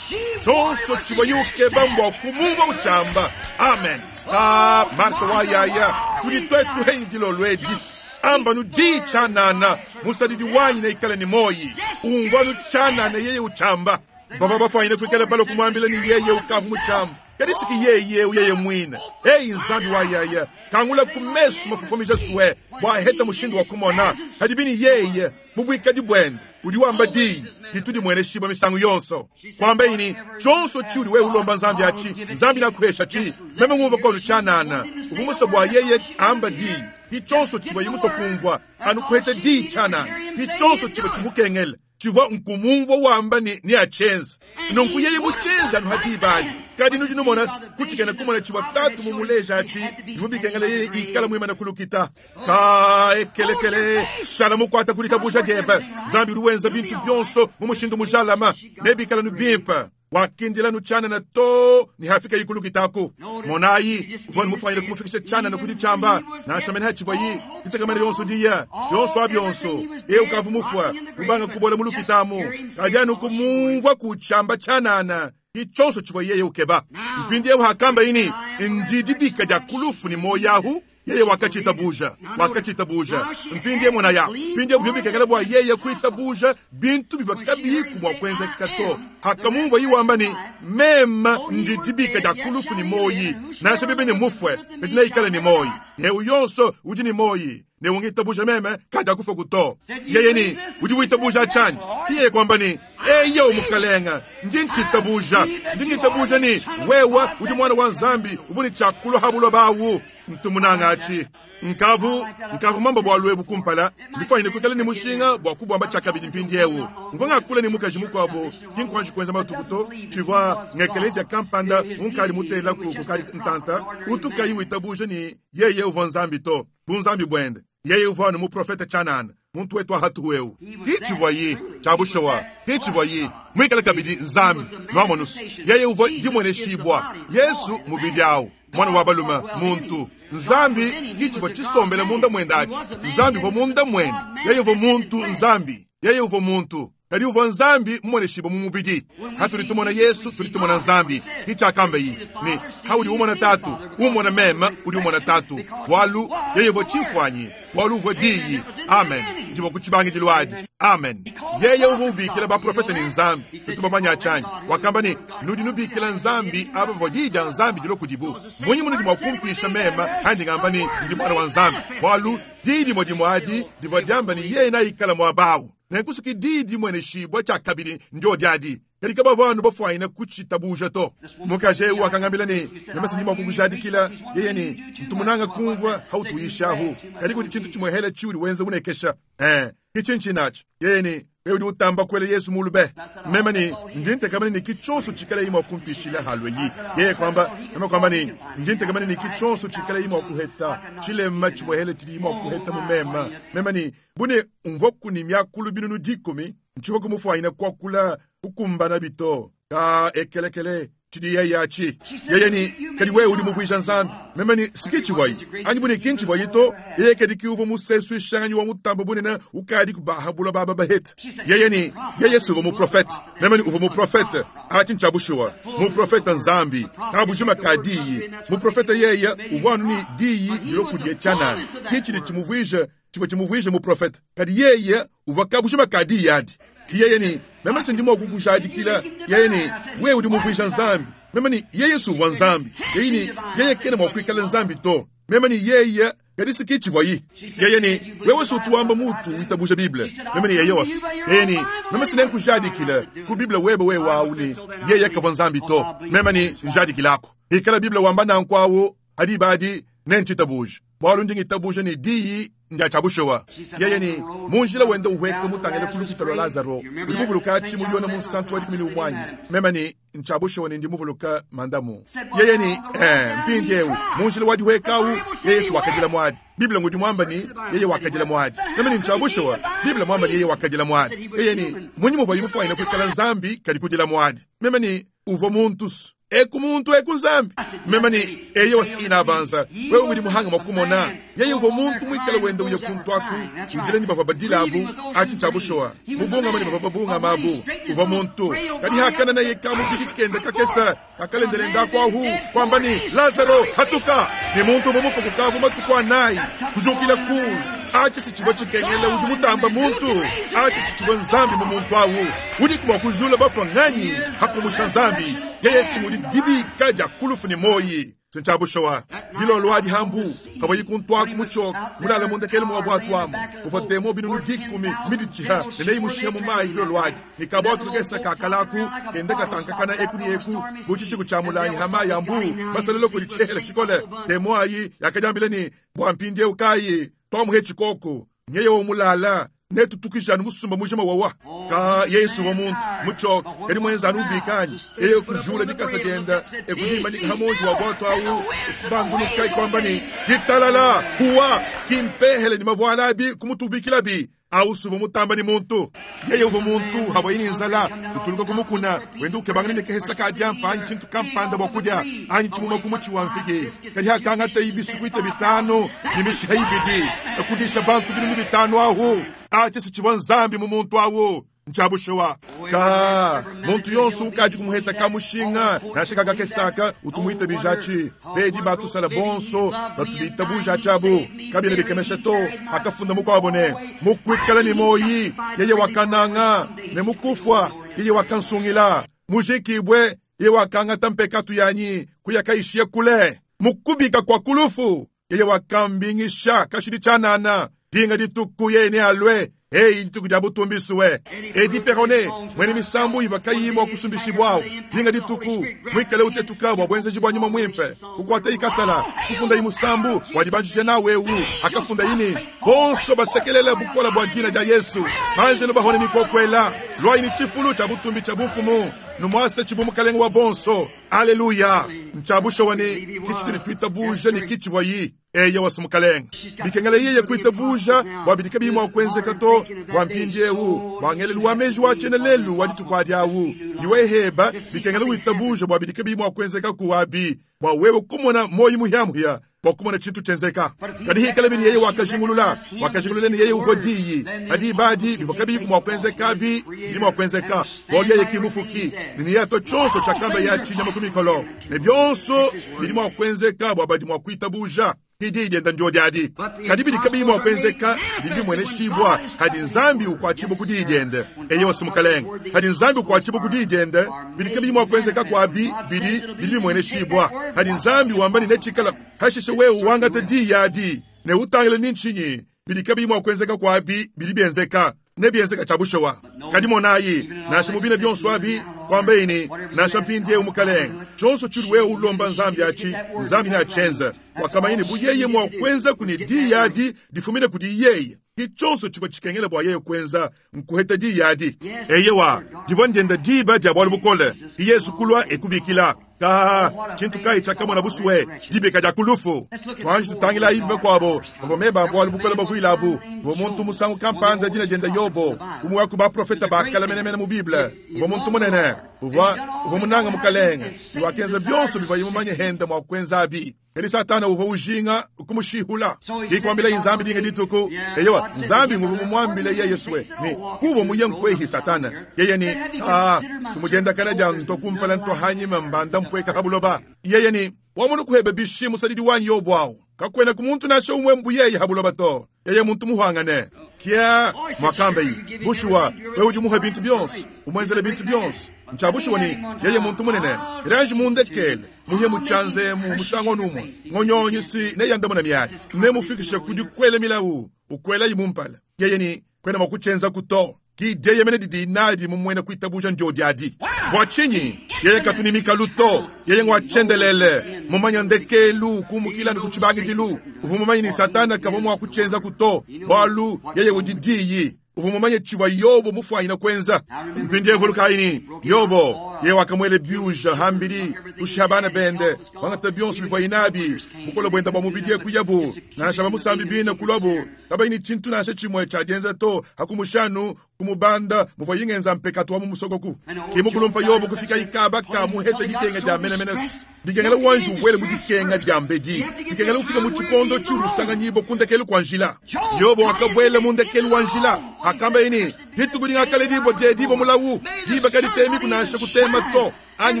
chonso chibayuke bambwa kumumva uchamba amen. Ta Marta wa yaya tudi twetu hengilo lwedis amba nu di chanana musadidi wanyi na ikale ni moyi ungwa nu chanana yeye uchamba bava bafanyine kwikala balo kumwambila ni yeye ukavu muchamba kadisiki yeye uyeye mwina eyi Nzambi wa yaya kangula kumesu mafufomija suwe bwa heta mushindu wa kumona hadibini yeye mubwikadi bwende udi wamba di ditudi mwene shiba misangu yonso kwamba ini chonso chiudi we ulomba Nzambi achi Nzambi nakuhesha chi meme ngumva kono chanana uvumuso bwa yeye amba di di chonso chiwa yimuso kumvwa anu kuheta di chanana di chonso chiwa chimukengele chivwa nkumumvwa wamba ni, ni achenza nonku yeye muchenza anu hadibadi kadi nudi numona kuchikena kumona chivwa tatu mumuleja achi jumubikengele yeye ikala mwimana kulukita ka ekelekele shala mukwata kulitabuja jebe Nzambi ruwenza bintu byonso mumushindu mujalama nebikala nubimpa wakindila nuchana na to ni hafika yikulukitako monayi uvoni mufanyile kumufikisha chana na kudichamba nashamene hachivwa yi kitakamene yonso diya yonso abyonso e ukavu mufwa ubanga kubola mulukitamu kajanu kumumvwa kuchamba chanana ichonso chivwa yeye ukeba mpindi yehu hakamba ini ndidibika ja kulufu ni moyahu yeye wakachitabuja wakachitabuja mpindi mwana ya mpindi vyobikekele bwa yeye kuitabuja bintu bivakabiku mwa kwenza kato hakamumva yiwamba ni mema ndidibika ja kulufu ni moyi nasha bibi ni mufwe petina ikale ni moyi yehu yonso udi ni moyi ne ungitabuja meme kaja kufa kuto yeye ni udi witabuja chani kiye kwamba ni eyo mukalenga ndi nchitabuja ndi ngitabuja ni wewe udi mwana wa Nzambi uvuni chakulu habulo bawu mtumunangachi nkavu nkavu mambo bwa lwebu kumpala ndifanyine kwikala ni mushinga bwa kubwamba chakabidi mpindiewu mvanga kula ni mukaji mukwabo kinkwanji kwenza matukuto chivwa ngekelezia kampanda unkali mutela ku kukali ntanta utukayi witabuje ni yeye uvwa Nzambi to bunzambi bwende yeye uvwa ni muprofeta chanana muntu wetu ahatuwewu kichivwa yi chabushowa kichivwa yi mwikala kabidi Nzambi nwamonusu yeye uvwa dimwene shibwa Yesu mubidi awu mwana wa baluma muntu Nzambi kichivwa chisombele munda mwendachi Nzambi vo munda mwene yeye vo muntu Nzambi yeye uvo muntu kadi uvo Nzambi mmwene shibo mumubidi hatulitumona Yesu tulitumona Nzambi kichakamba yi ni hauli umona tatu umona mema uli umona tatu walu yeye vo chifwanyi walu uvo diyi amen ndivo kuchibangidilwadi amen yeye uvo ubikila baprofeta ni Nzambi tutubamanya chanyi wakamba ni nudi nubikila Nzambi aba vo diyi ja Nzambi dilo kudibu munyi munudi mwakumpisha mema handi ngamba ni ndi mwana wa Nzambi walu diyi dimwe dimwadi divo diamba ni yeye naikala mwabawu nenkusuki didi mwene shibwa chakabili njo dyadi Kadi kabavua anu bafuanyine kucitabuuja to. Mukaji ewu wakangambila ne, Meme ndi mwa kukujadikila, yeye ne, Ntu munanga kumvwa hautuuyishahu, kadi kudi cintu cimwehela ciudi wenza unekesha. Ee, ki cinci naci? Yeye ne, Wewe udi utamba kwela Yesu mulu be. Meme ne, Ndi ntekamana ne ki cyonso cikalayi mwa kumpishila halweyi. Yeye kwamba, meme kwamba ne, Ndi ntekamana ne ki cyonso cikalayi mwa kuheta, cilema cimwehela cidi mwa kuheta mu meme. Meme ne, Bu ne umvwaku ne myakulu binunu dikumi, ncivwa kumufwanyine kwakula kukumbana bito. Ka ekelekele cidi yeye aci. Yeye ne, Kadi wewe udi muvwija Nzambi. Meme ne, Si ki civwayi. Anyi bu ne ki ncivwayi to, yeye kadi ki uvwa museswishanganyi wa mutamba bunene ukadi kubahabula baba bahete. Yeye ne, Yeye si uvwa muprofete. Meme ne, Uvwa muprofete. Aci nca bushuwa. Muprofete Nzambi. Kabujima ka diyi. Muprofete yeye uvwa anu ne diyi dilwe kudiye cyanana. Ki cidi cimuvwija, civwa cimuvwija muprofete. Kadi yeye uvwa kabujima ka diyi adi. Ki yeye ne, Meme se ndi mwa kukujadikila. Yeye ne, Wewe udi muvwija Nzambi. Meme ne, Yeye si uvwa Nzambi. Yeye ne, Yeye kena mwa kwikala Nzambi to. Meme ne, Yeye kadi si ki civwayi. Yeye ne, Wewe si utu wamba mutu witabuja Bible. Meme ne, Yeye wasi. Yeye ne, Meme si nenkujadikila ku Bible webe wewe awu ne, Yeye kavwa Nzambi to. Meme ne, Njadikilako. Ikala Bible wamba nanku awu, adi badi nencitabuja. Bwalu ndi ngitabuja ne diyi ndya ca bushuwa. Yeye ne, Mu njila wenda uhweka mutangile ku lukita lwa Lazaro, udi muvuluka aci mu Yona munsantu wa dikumi ne umwe anyi? Meme ne, Nca bushuwa ne ndi muvuluka mandamu. Yeye ne, Ee, mpindyewu, mu njila wa dihweka awu, yeye si wakadila mwadi. Bible ngudi mwamba ne, Yeye wakadila mwadi. Meme ne, Nca bushuwa, Bible mwamba ne yeye wakadila mwadi. Yeye ne, Munyi muvwayi mufwanyine kwikala Nzambi kadi kudila mwadi? Meme ne, Uvwa muntu. Eku muntu eku Nzambi. Meme ne, Eyo sina banza. Wewe udi muhanga mwa kumona. Yeye uvwa muntu mwikale wenda uya kuntu aku, udila ne bavwa badila abu, aci nca bushuwa. Mubungama ne bavwa babungama abu. Uvwa muntu. Kadi hakana naye ka mubidi kende kakesa, kakalendelenda aku ahu, kwamba ne, Lazaro, hatuka. Ne muntu uvwa mufwe kukavu matuku anayi, kujukila kulu. Aci si civwa cikengela udi mutamba muntu. Aci si civwa Nzambi mu muntu awu. Udi mwa kujula bafwa nganyi, hakumusha Nzambi. Yeye si mudi dibika dya kulufu ne moyi. Sinca bushuwa. Dilolo adi hambu, kavwa yikuntu aku muchoka, mulala mundekele mwa bwatu amu. Uvwa demo binunu dikumi, midichiha, ne neyi mushiha mu mayi dilolo adi. Ne kabwatu kakesa kakalaku, kende katankakana eku ni eku, buchichiku cha mulanyi ha mayi ambu, masalelo kuli chihela chikole. Demo ayi, yakajambile ni, bwa mpindye ukayi, twamuhe chikoko, nyeye wo mulala, netutukijanu musumba mujima wawa. Ka Yesu wa muntu, muchoka, kadi mwenza anu ubikanyi. Yeye kujula dikasa denda, ekudimanyika hamonji wa bwatu awu, ekubanduluka ikwamba ni, ditalala, huwa, kimpehele ni mavwala abi, kumutubikilabi. Awu suba mutamba ni muntu. Yeye uva muntu, hawa yini nzala, utuluka kumukuna, wenda ukebangana ne kehesa ka dyampa, anyi tshintu kampanda bwa kudya, anyi tshimuma kumuchi wa mfigi. Kadi hakangata ibisukuita bitano, ni mishiha ibidi, ekudisha bantu binunu bitano ahu. Aci si civwa Nzambi mu muntu awu. Nca bushuwa. Ka, muntu yonso ukadi kumuheta ka mushinga, nansha kakakesaka, utumuita bijaci. Bedi batusala bonso, batubita bujaci abu. Kabina bikemesha to, akafunda mukwabo ne, mukwikala ni moyi, yeye wakananga, ne mukufwa, yeye wakansungila. Mujikibwe, yeye wakangata mpekatu yanyi, kuyakaishia kule. Mukubika kwa kulufu, yeye wakambingisha, kashidi chanana. Dinga dituku yeye ne alwe. Ei, dituku dya butumbisuwe. Edi Perone, mwene misambu iva kayimwa kusumbishibwawo. Dinga dituku, mwikale utetuka bwa bwenzeji bwa nyuma mwimpe. Kukwata ikasala, kufunda imusambu, wadibanjishe nawe ewu. Akafunda ini, bonso basekelele bukola bwa dina dya Yesu. Banjelo bahone mikokwela, lwa ini chifulu cha butumbi cha bufumu. Numwase chibu mukalenga wa bonso. Aleluya. Nchabusho wani, kichitiri twita buja ni kichi wayi. Eye wasumukalenga. Bikengela yeye kuita buja, bwa bidika bimwa kwenzeka to, bwa mpindi ewu, bwa ngelelu wa meji wa chene lelu wa dituku adi awu. Niwe heba, bikengela wita buja, bwa bidika bimwa kwenzeka kuwabi, bwa wewe kumona moyi muhyamuhya, bwa kumona chintu chenzeka. Kadi hikala bini yeye wakajingulula, wakajingulula ni yeye uvo diyi. Kadi badi, bivwa kabi mwa kwenzeka bi, bidi mwa kwenzeka. Bwa yeye kimufuki, ni yato chonso chakamba ya chinyama kumikolo. Ne byonso, bidi mwa kwenzeka, bwa badi mwa kuita buja. Didi dienda ndio diadi. Kadi bidi kabi mwa kwenzeka, bidi mwene shibwa, hadi Nzambi ukwachibu kudi diende. Eye wasumukalenga. Hadi Nzambi ukwachibu kudi diende, bidi kabi mwa kwenzeka kwa bi, bidi, bidi mwene shibwa. Hadi Nzambi wambani nechikala, hashishe wewe wangate di yadi. Ne utangile ninchinyi, bidi kabi mwa kwenzeka kwa bi, bidi bienzeka. Ne bienzeka chabushowa. Kadi monayi, nansha mubine byonso abi, Kuambaye ne, nansha mpindieu mukalenge, tshionso tshiudi wewe ulomba Nzambi atshi, Nzambi neatshienze. Wakamanya ne bu yeye mua kuenza kuni diyi adi difumine kudi yeye. Ki tshionso tshivua tshikengela bua yeye kuenza nkuheta diyi adi. Eyewa, divua ndienda diba dia bualu bukole. Yesu kulua ekubikila. Ka tshintu kayi tshiakamona busue dibika dia kulufu. Tuanji tutangilayi bakuabo bavua meba bualu bukole bavuilabu. Buvua muntu musangu kampanda dina dienda Yobo, umwe wa ku baprofeta bakala menemene mu Bible. Uvua muntu munene, uvua uvua munanga mukalenge, wakenza bionso bivuaye mumanye henda mua kuenzabi. Kadi Satana uvua ujinga kumushihula. Kikwambila Nzambi dinga dituku. Eyewa, Nzambi nguvu mumwambile yeye swe ni kuva muye nkwehi Satana. Yeye ni ah sumujenda kana dia nto kumpala nto hanyima mbanda mpweka habuloba. Yeye ni wamunu kuhebe bishi musadidi wanyi Yobo awu. Kakwena kumuntu nasha umwe mbuyeye habuloba to. Yeye muntu muhangane. Kia mwakambe bushuwa wewe udi muhe bintu byonso, umwenzele bintu byonso. Nchabushuwa ni yeye muntu munene. Ranji mundekele muhe muchanze mu musango numwe. Ngonyonyi si ne yandamuna miayi. Ne mufikishe kudi kwele milawu, ukwela imumpala. Yeye ni kwena makuchenza kuto. Ki deye mene didi nadi mumwena kuitabuja njodi adi. Bwa chinyi yeye katunimika luto, yeye ngwa chendelele, mumanya ndekelu kumukila ni kuchibangidilu. Uvumumanya ni Satana kava mwa kuchenza kuto. Bwalu yeye udidiyi. Uvumumanya chivwa Yobo mufwanyina kwenza. Mpindie vulukaini Yobo yeye wakamwele biuja hambili kushabana bende wangata bionso bivwa inabi bukola bwenda bwa mubidie kuyabu nansha bamusambi bina kulwabu kabaini chintu nansha chimwe chajenza to hakumushanu kumubanda muvwa yingenza mpekatu wa mumusokoku. Kimukulumpa Yobo kufika ikaba ka muhete dikenga dia menemenes. Dikengela wanju wele mudikenga dia mbedi. Dikengela ufika mu chikondo chirusanga nyibo kundekelu kwa njila. Yobo wakabwele mundekelu wa njila. Hakamba ini dituku dingakale dibo je dibo mulawu. Diba kaditemi kunasha kutema to. Anyi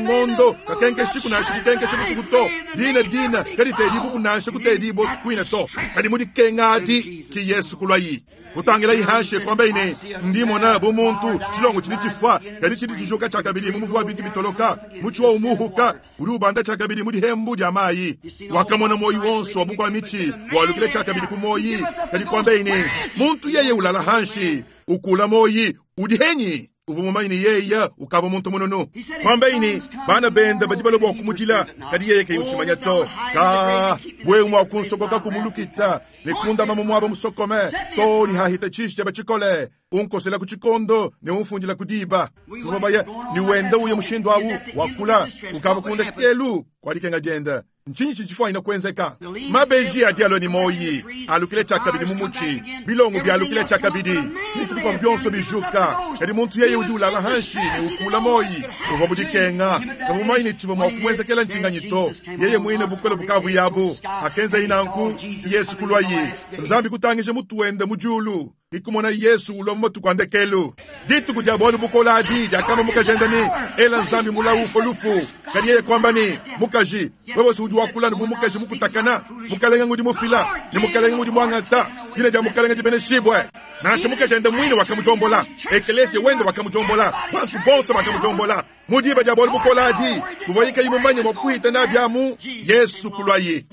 ngondo kakenke shiku nasha kukenke shiku kuto. Dina dina kadite dibo kunasha kute dibo kuina to. Kadi mudikenga adi ki Yesu kulwayi. Kutangila ihashe kwamba ine ndimona bo muntu chilongo chili chifwa kadi chili chijoka chakabili mumuvu bintu bitoloka muchiwa umuhuka uri ubanda chakabili muri hembu dia mayi. Wakamona moyi wonso wabukwa michi walukile chakabili ku moyi. Kadi kwamba ine muntu yeye ulala hanshi ukula moyi udihenyi uvumumanyi yeye ukava muntu munono. Kwamba ini bana benda badibalo bwa kumujila kadi yeye kayuchimanya to ka bwe mwa kunsokoka kumulukita nekunda mamu mwabo musokome to ni hahita chishe bachikole unkosela kuchikondo ne umfundila kudiba tuvabaya ni wenda uye mushindo awu wakula ukava kunda kelu kwalikenga jenda nchinyi chichifwa ina kwenzeka. Mabeji adialo ni moyi alukile chakabidi mumuchi bilongo byalukile chakabidi bintu bikwa byonso bijuka kadi muntu yeye udi ulala hanshi ni ukula moyi uva mudikenga kamumaini chiva mwa kumwenzekela ncinganyito yeye mwine bukole bukavu yabu akenza inanku Yesu kulwayi Nzambi kutangishe mutu wende mujulu ikumona Yesu ulwa matuku andekelu dituku dia bwalu bukola adi dia kama mukajenda ni ela Nzambi mulawu folufu kadi yeye kwamba ni mukaji wewe si udi wakula ni mukaji mukutakana mukalenga ngudi mufila ni mukalenga ngudi mwangata dina dia mukalenga dibeneshibwe nansha mukajenda mwine wakamujombola ekelesia wende wakamujombola bantu bonso wakamujombola mudiba dia bwalu bukola adi buvayika imumanye mwakuhita nabyamu Yesu kulwayi.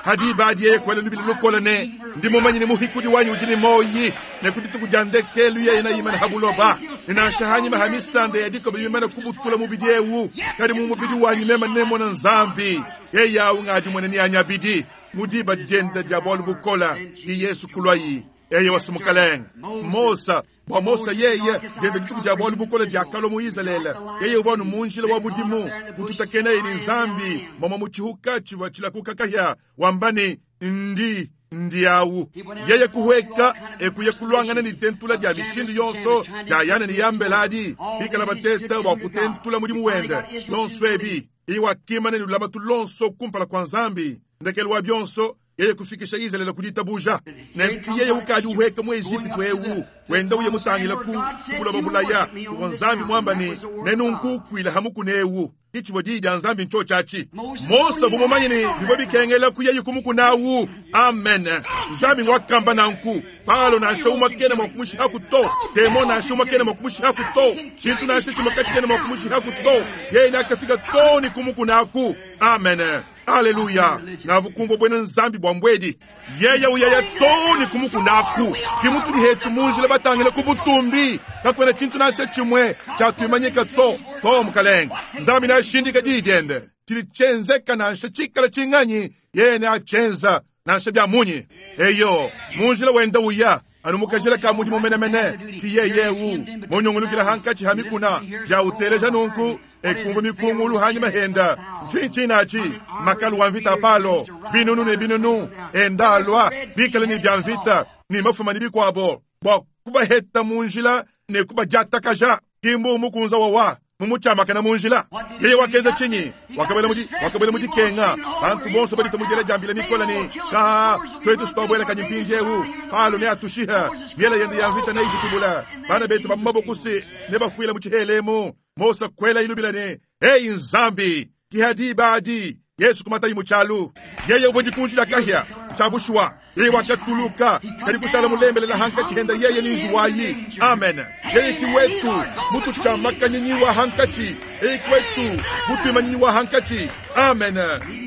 Hadi badi yeye kwela lubili lukola ne ndi mumanyi ni muhikudi wanyu udi ni moyi ne kudituku dia ndekelu yeye na imana habuloba ninansha hanyima hamisande yadiko bimana kubutula mubidi ewu kadi mu mubidi wanyu mema nemona Nzambi yeye awu ngadi mwene ni anyabidi mudiba dienda dia bwalu bukola di Yesu kulwayi eye wasumukalenga Mosa bwa Mosa yeye dienda dituku dia bwalu bukola dia kalo mu Israele yeye uvanu munjila wa budimu kututakena ni Nzambi mama muchihuka chiva chilakuka kahya wambani ndi ndiawu yeye kuhweka ekuye kulwangana ni tentula dia mishindu yonso dia yana ni yambeladi bikala bateta wa kutentula mudimu wende yonso ebi iwakimana ni lulamatu lonso kumpala kwa Nzambi ndekelu wa byonso yeye kufikisha Israeli kuditabuja nenki yeye ukadi uheka mu Egypto ewu wenda uye mutangila ku kuloba bulaya ku Nzambi mwamba ni nenunkukwila hamukunewu ichivo didi dia Nzambi ncho chachi Mosa vumumanye ni bivyo bikengela kuyeyi kumukunawu. Amen. Nzambi ngwakamba nanku palo nansha umakene mwakumushiha kuto temo nansha umakene mwakumushiha kuto chintu nansha chimakachene mwakumushiha kuto yeye nakafika toni kumukunaku. Amen. Haleluya. Navukumva bwena Nzambi bwa mbwedi yeye uyaya toni kumukunaku kimutuli hetu munjila batangile kubutumbi kakwena chintu nansha chimwe chatwimanyika to To mukalenge, Nzambi neashindike diyi diende. Tshidi tshienzeka nansha tshikala tshinganyi, yeye neatshienza nansha bia munyi. Eyo, mu njila wenda uya anu mukajila ka mudimu menemene, ki yeye eu munyungulukila hankatshi ha mikuna dia uteleja nunku ekumva mikungulu hanyima henda. Ntshinyi tshinatshi makalu wa mvita palo binunu ne binunu enda alua bikale ne bia mvita ne mafuma ne bikuabo bua kubaheta mu njila ne kubadiatakaja. Kimbu mukunza wawa mumutshiamakana mu njila. Yeye wakenza tshinyi? Wakabwela mudi wakabwela mu dikenga. Bantu bonso badi tumujela jambila mikola ne ka twetu sitobwela kanyi mpindiewu palo ne atushiha miela yende ya mvita neijitubula bana betu ba mabokusi ne bafuila mu tshihelemu. Mosa kwela ilubila ne ei Nzambi kihadi badi Yesu kumata imuchalu. Yeye uvua dikunji la kahia chabushwa. Yeye wakatuluka kali kushala mulembelela hankachi henda yeye ni nzuwayi. Amen. Yeye kiwetu mutu chamakanyinyiwa hankachi. Yeye kiwetu mutu imanyinyiwa hankachi. Amen.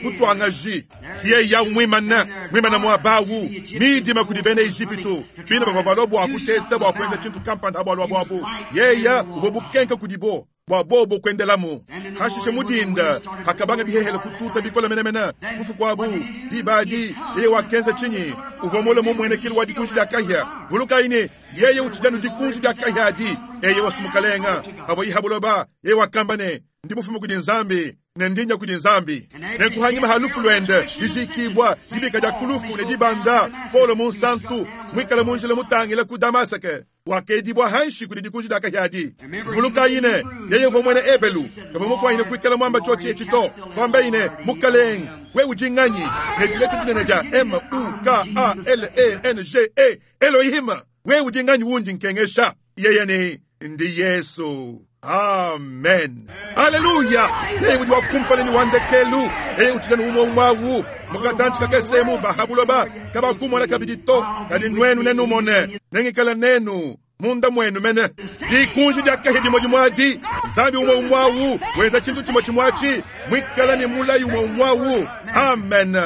Mutu angaji kiye ya mwimana mwimana mwabawu midima kudi bena Ejipitu bina bavua balua bua kuteta bua kuenza tshintu kampanda bua lua buabu. Yeye uvua bukenka kudibo bua bobo kuendelamu. Hashishe mudinda hakabanga bihehele kututa bikola menemene kufu kwabu dibadi. Yeye wakenza chinyi? Uvua mule mumuenekelu wa dikunji dia kahia. Vulukayi yeye utshijanu dikunji dia kahia adi. Eye wasumukalenga avua ihabuloba. Yeye wakamba ne ndi mufume kudi Nzambi ne ndinya kudi Nzambi. Ne kuhanyima halufu lwende dijikibwa dibika dia kulufu ne dibanda Paulo munsantu mwikala munjila mutangila ku Damaseke wakedibwa hanshi kudi dikunji dia kahia adi. Vulukayi ne yeye uvua mwene Ebelu kavua mufuanyine kuikala mwamba tshiotshi etshi to. Kwambayi ne mukalenge we udi nganyi ne dileta dinene dia M U K A L E N G E Elohim we udi nganyi wundi nkengesha. Yeye ni ndi Yesu. Amen. Haleluya. Yeye udi wakumpala ni wandekelu. Yeye utshilanu umwe umwawu mukatanchi kakesemu bahabuloba kabakumona kabidi to kadi nwenu nenumone nengikala nenu munda mwenu mene. Dikunji dia kahia dimwe dimwadi Nzambi umwe umwawu wenza tshintu tshimwe tshimwatshi mwikala ni mulayi umwe umwawu. Amen.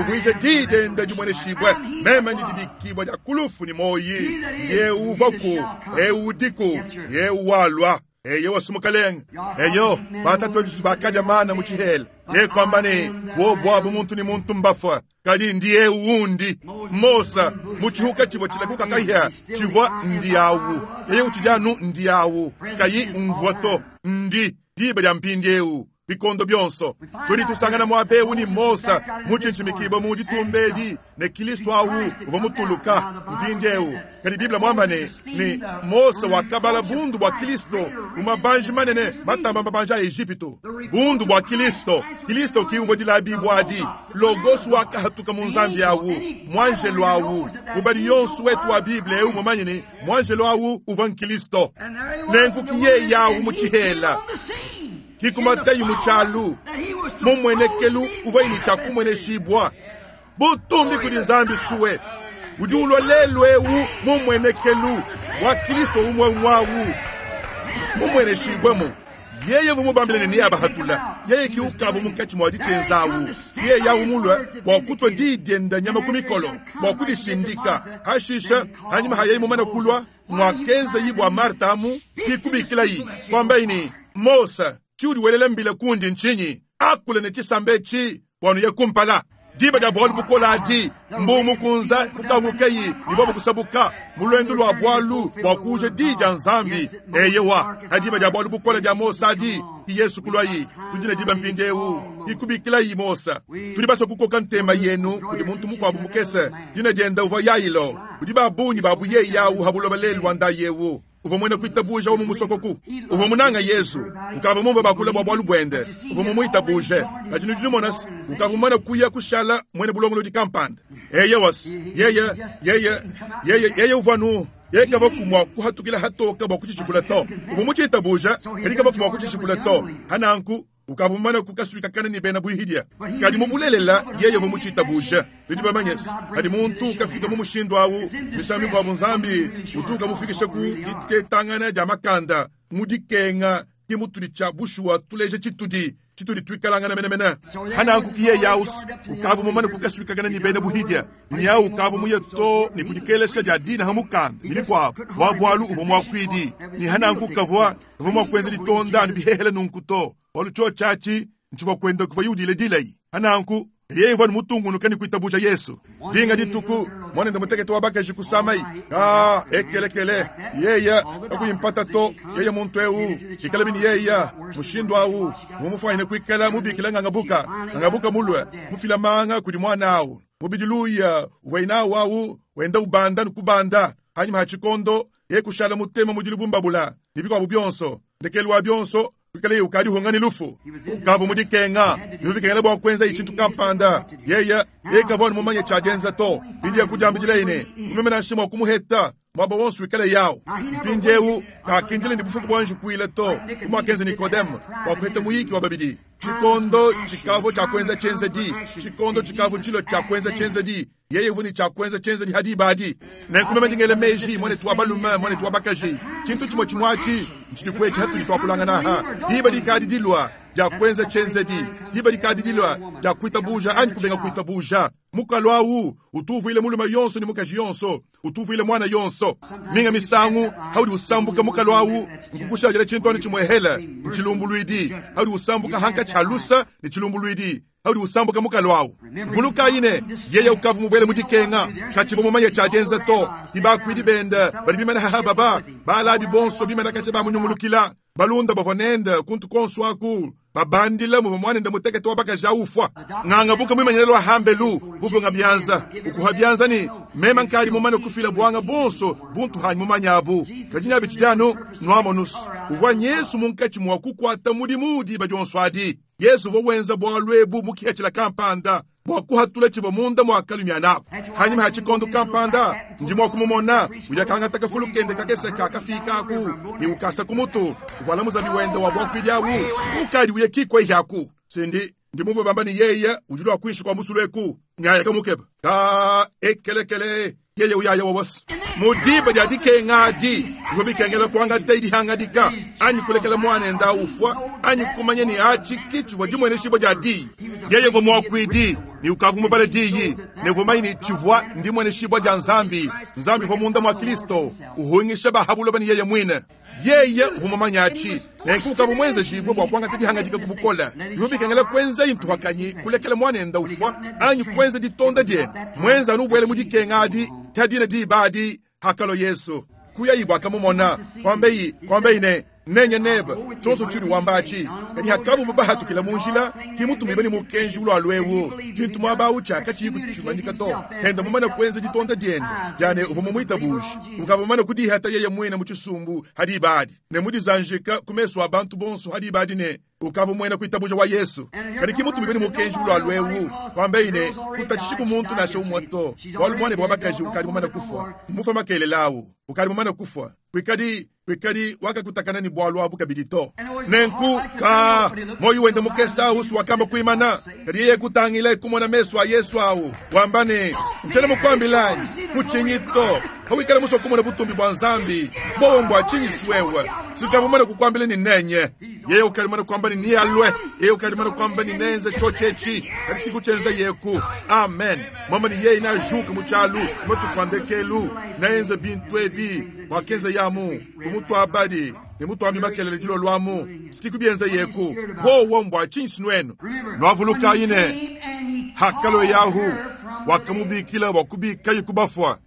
Uvuije didenda dimweneshibwe meme ndi dibikibwa dia kulufu ni moyi. Ye uvaku eudiku ye walwa eye wasumukalenga. Eyo batatu bakaja mana mu tshihela. Ye kwamba ne wo bwabu muntu ni muntu mbafwa kadi ndiye undi. Mosa mu tshihuka tshivua tshilakuka kahia tshivua ndiawu. Yeye utshijanu ndiawu kayi umvua to ndi diba dia mpindiewu bikondo byonso. Tudi tusangana mwabewu ni Mosa mutshintshimikibo mu ditumbedi ne Kristo awu uvua mutuluka mpindiewu. Kadi Biblia mwamba ne ni Mosa wakabala bundu bua Kristo mumabanji manene matamba mabanja a Ejipitu. Bundu bua Kristo, Kristo kiumvua dilabibwa adi logos wakahatuka mu nzambi awu mwanjelo awu ubali yonso wetu wa Biblia eu mumanye ne mwanjelo awu uvua Kristo nenkukiye yawu mu tshihela kikumatayi mu tshialu mumwenekelu uvua ini tshia kumweneshibwa butumbi kudi Nzambi suwe udi ulwa lelu eu mumwenekelu wa Kristo umwe umwawu mumweneshibwemu. Yeye vumubambile ne niyabahatula yeye kiukavu munkatshi mwa ditshenzawu yeye yawu mulwe bua kutwa didienda nyama ku mikolo bua kudishindika. Hashisha hanyima hayeyi mumana kulwa mwakenza yi bua Marta amu kikubikilayi kwambayi Mosa tshiudi welela mbila kundi ntshinyi akule ne tshisambe tshi bwanu ye kumpala diba dia bwalu bukola adi mbumu kunza kukangukeyi ni bobo kusabuka mulwendu lwa bwalu bwa kuja di dia Nzambi. Eyewa adiba dia bwalu bukola dia Mosa adi ki Yesu kulwayi tudi ne diba mpindiewu ikubikilayi Mosa. Tudi basa kukoka ntema yenu kudi muntu mukuabu mukese dina dienda uvua Yailo kudi babunyi babu ye yawu habuloba lelu wanda yewu uvua mwene kuitabuja wa mumusokoku uvua munanga Yesu ukava mumba bakula bwa bwalu bwende uvua mumuitabuje kadi nudi numona ukava mumana kuya kushala mwene bulongolodi kampanda. Eye was yeye yeye yeye yeye uvua nu yeye kava kumwa kuhatukila hatoka bwa kuchishikula to uvua muchitabuja kadi kava kumwa kuchishikula to hananku ukava mumana kukaswika kana ni bena buihidia kadi mubulelela yeye uvua muchitabuja. Bidi bamanyesi kadi muntu ukafika mu mushindu awu misambi kwa Nzambi utuka mufikisha ku ditetangana dia makanda mu dikenga ki mutudi tshia bushuwa tuleja tshitudi Tshitudi tuikalangana menemene. Hananku ki yeya usu, ukavu mumane kukasuikakana ni bena buhidya. Nya ukavu muye to ni kudikelesha dia dina ha mukanda, ni bikuabu. Bua bualu uvua muakuidi. Ni hananku kavua, kavua mua kuenza ditonda ni bihehele nunku to. Bualu cho chachi, nchivua kwenda kuvua yudile dilei. Hananku, yeye uvua ni mutungunuka ni kuitabuja Yesu. Dinga dituku, mwana mutekete wa bakaji kusamai. Ah, ekelekele. Yeya, akuyimpata to, yeye muntu eu, ikala bini yeya, mushindu au, mumufanye kuikala mubikila ngangabuka, ngangabuka mulwe, mufila manga kudi mwana au. Mubidiluya, uwaina wau, wenda ubanda nukubanda, hanyuma hachikondo, ye kushala mutema mudilubumbabula, nibikwa byonso, ndekelu wa byonso, kuikala ukadi hongani lufu. Ukavu mudikenga, yuvikengela bwa kwenza ichintu kampanda. Yeya, yekavwa mumanye chajenza to. Bidi kujambijila ine, umemena shimo kumuheta, mwaba wonsu ikale yao. Mpinjewu, kakindile ndi bufuku bwanju kuile to. Kumwakenze Nikodemu, kwa kuheta muyiki wa babidi. Chikondo chikavo cha kwenza chenza di. Chikondo chikavo chilo cha kwenza chenza di. Yeye vuni cha kwenza chenza di hadi badi. Nenkume ndingele meji, mwane tuwa balume, mwane tuwa bakaji. Chintu chimo chimwachi, nchidikwechi hatu litwakulanga naha. Diba dikadi dilwa, ja kwenza chenza di. Diba dikadi dilwa, ja kuitabuja, ani kubenga kuitabuja. Mukalwawu, utuvuile mulume yonso ni mukaji yonso, utuvuile mwana yonso. Minga misangu, haudi usambuka mukalwawu, nkukusha jele chintoni chimwehela, nchilumbuluidi. Haudi usambuka hanka chalusa, ni chilumbuluidi. Haudi usambuka mukalwawu. Vuluka ine, yeye ukavu mubwele mudikenga, kachivo mumanye chajenza to, ibakwidi benda, bali bimana haha baba, balabi bonso bimana kache ba munyungulukila, balunda bavonenda, kuntu konsu aku, babandila mu mwanenda mutekete wabakaja ufwa. Ngangabuka mwimanyelwa hambelu, buvunga byanza, ukuha byanza ni mema nkali mumane kufila bwanga bonso, buntu hanyu mumanyabu. Kajinya bichidano, nwamonus. Uvwa Yesu munkachi mwa kukwata mudimu di bajonso adi. Yesu vowenza bwalwebu mukiachila kampanda, bwakuhatula chivo munda mwakalumya nabo. Hanyuma hachikondo kampanda, ndimo kumumona, ujakanga takafulu kende kakeseka kafika aku, ni ukasa kumutu, uvala muzabi wenda wa bwakwijawu, ukali uyekikwa ihaku. Sindi, ndimumwe bamba ni yeye, ujulwa kuishi kwa musuleku, nyaya kamukeba. Ka ekelekele, yeye uyaya wawasi. Mudiba jadike ngadi, ngobikengela kwanga teidi hangadika, anyu kulekela mwana nda ufwa, anyu kumanye ni achi kichu wajimwene shibo jadi. Yeye ngo mwakwidi, ni ukavumu bale diyi, ne vumai ni chivwa ndimwene shibo ja Nzambi, Nzambi kwa munda mwa Kristo, uhungisha bahabulo bani yeye mwine. Yeye uvumumanyachi, nenkuka mwenze jibwe kwa kwanga teidi hangadika kubukola. Ngobikengela kwenza intu hakanyi, kulekela mwana nda ufwa, anyu kwenza ditonda die. Mwenza nubwele mudike ngadi, tadina di badi, hakalo Yesu. Kuya ibwa kamumona, kwambeyi, kwambeyi ne, nenye neba, chonso chiri wambachi. Kadi hakabu mubahatu kila munjila, kimutu mibeni mukenji ulo alwewo. Chintu mwaba ucha, kachi yiku chumanyika to. Henda mumana kwenza ditonda dienda. Jane uvumumuita buji. Ukavumana kudihata yeye mwena muchisumbu, hadi ibadi. Ne mudizanjika kumeso abantu bonso hadi ibadi ne. Ukavu mwena kuitabuja wa Yesu. Kadi kimutu mibeni mukenji ulo alwewo. Kwambeyi ne, kutachishiku muntu na shau mwato. Walu mwane bwabakaji ukadi mumana kufwa. Mufa makele lawo. Ukadi mumana kufwa. Kwikadi, kwikadi wakakutakana ni bwalwa bukabidito. Nenku ka moyo wende mukesa usu wakamba kuimana. Kadi yeye kutangila kumona meso a Yesu awo. Wambane, mchana mukwambilani, kuchingito. Hawikala muso kumona butumbi bwa Nzambi. Bowo mbwa chingi swewe. Sikavumana kukwambila ni nenye. Yeye ukalimana kwamba ni nialwe. Yeye ukalimana kwamba ni nenze chochechi. Kadi sikuchenza yeku. Amen. Mama ni yeye na juka muchalu. Mtu kwandekelu. Nenze bintwebi. Wakenze yamu. Kumutu abadi. Ni mutu ambi makelele dilo lwamu. Sikikubienza yeku. Bowo mbwa chingi sinwenu. Nwavuluka ine. Hakalo yahu. Wakamubikila wakubika yukubafwa.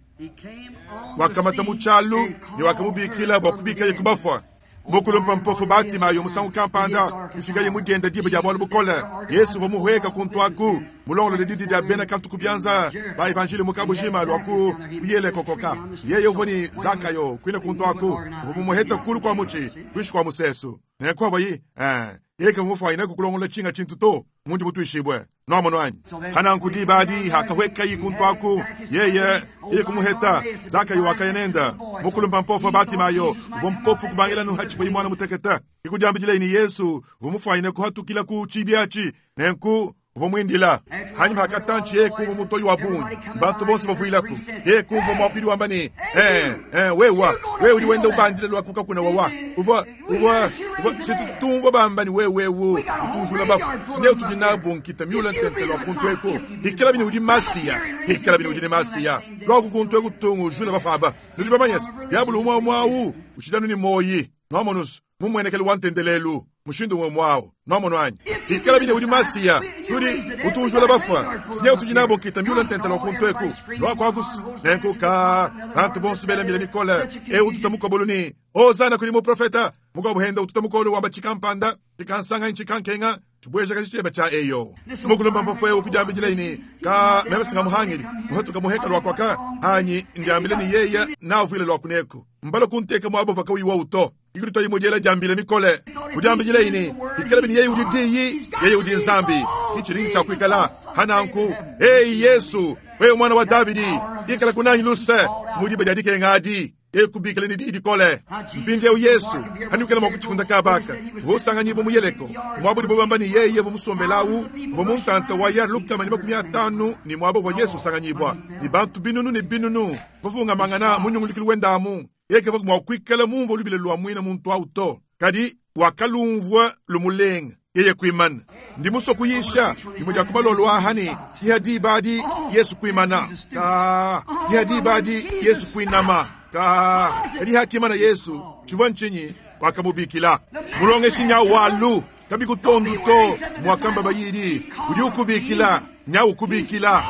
Wakamata muchalu ni wakamubikila wakubika yukubafwa. Mukulumpa mpofu Batimayo musangu kampanda ifika ye mugenda diba dia bwalu bukole. Yesu vomuhweka kuntwaku mulongolo lididi dia bena kantu kubyanza ba evanjili mukabujima lwaku kuyele kokoka. Yeye uvoni Zakayo kwina kuntwaku vomumuheta kulu kwa muchi kwishi kwa musesu. Nekwava yi eh yeke mufa ina kukulongola chinga chintu to mundu mutuishibwe nomono anyi hananku dibadi hakahweka yikuntwaku yeye yekumuheta Zakayo wakayenenda mukulumba mpofu Batimayo vompofu kubangela nuhachipo imwana muteketa ikujambijila ini Yesu vomufwa ina kuhatukila ku chibiachi nenku Uvua muindila hanyima hakatanchi yeye kumva mutoyi wa bungi bantu bonso bavuilaku yeye kumva muakuidi wamba ne eh eh wewa wewe udi wenda ubandila lwa kuka kuna wawa uvua uvua uvua situtumva bamba ni wewe wo utujula bafu sinye tudi nabo nkita miula ntente lwa kuntu eko hikala bini udi masiya hikala bini udi ne masiya lwa kukuntu eko tungu ujula bafu aba nudi bamanyasa diabulu umwa umwawu uchidanu ni moyi nwamonusu mumwenekele wa ntendelelu mushindu umwe mwawo nwamono anyi hikala bine udi masiya tudi utujula bafa sinye utudi nabo nkita miula ntente lwa kuntu eku lwakwakusi nenkuka bantu bonso belambila mikole e ututa mukobolu ni ozana kuli muprofeta mukabuhenda ututa mukolo wamba chikampanda chikansanga chikankenga chibwezhaka chicheba cha eyo mukulomba mpofo ewo kudiambidila ini ka meme singamuhangili muhatuka muheka lwakwaka hanyi ndiambile ni yeya navuile lwakuneku mbalo kunteka mwabova kawiwa uto ikulito imojela diambile mikole kudiambidila ini ikala bini yeye udi diyi yeye udi nzambi kichilingi cha kuikala hananku ei Yesu wewe mwana wa Davidi ikala kunanyi luse mudibe diadikengadi ekubikile ni didi kole mpindi eu Yesu hanukela mwa kuchikunda kabaka vosanganyibwa muyeleko mwabudi bobamba ni yeye vomusombelawu vomuntanta wa ya lukama ni makumi atanu ni mwabo wa Yesu usanganyibwa ni bantu binunu ni binunu vavungamangana munyungulikilu wendamu yeke mwa kuikala mumva lubile lwa mwina muntu auto kadi wakalumvwa lumulenga yeye kuimana ndi muso kuyisha ndimo dia kubalolo ahani ihadi badi Yesu kuimana ka ihadi badi Yesu kuinama ka kadi hakimana Yesu chivwa nchinyi wakamubikila mulongeshi nya walu kabikutondu to mwakamba bayidi udi ukubikila nya ukubikila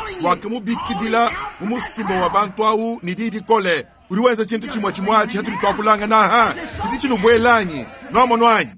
wakamubikidila mumusumba wa bantu au ni didi kole udi wenza chintu chimwe chimwachi hatuli twakulanga naha chidi chinubwelanyi nwamonwanyi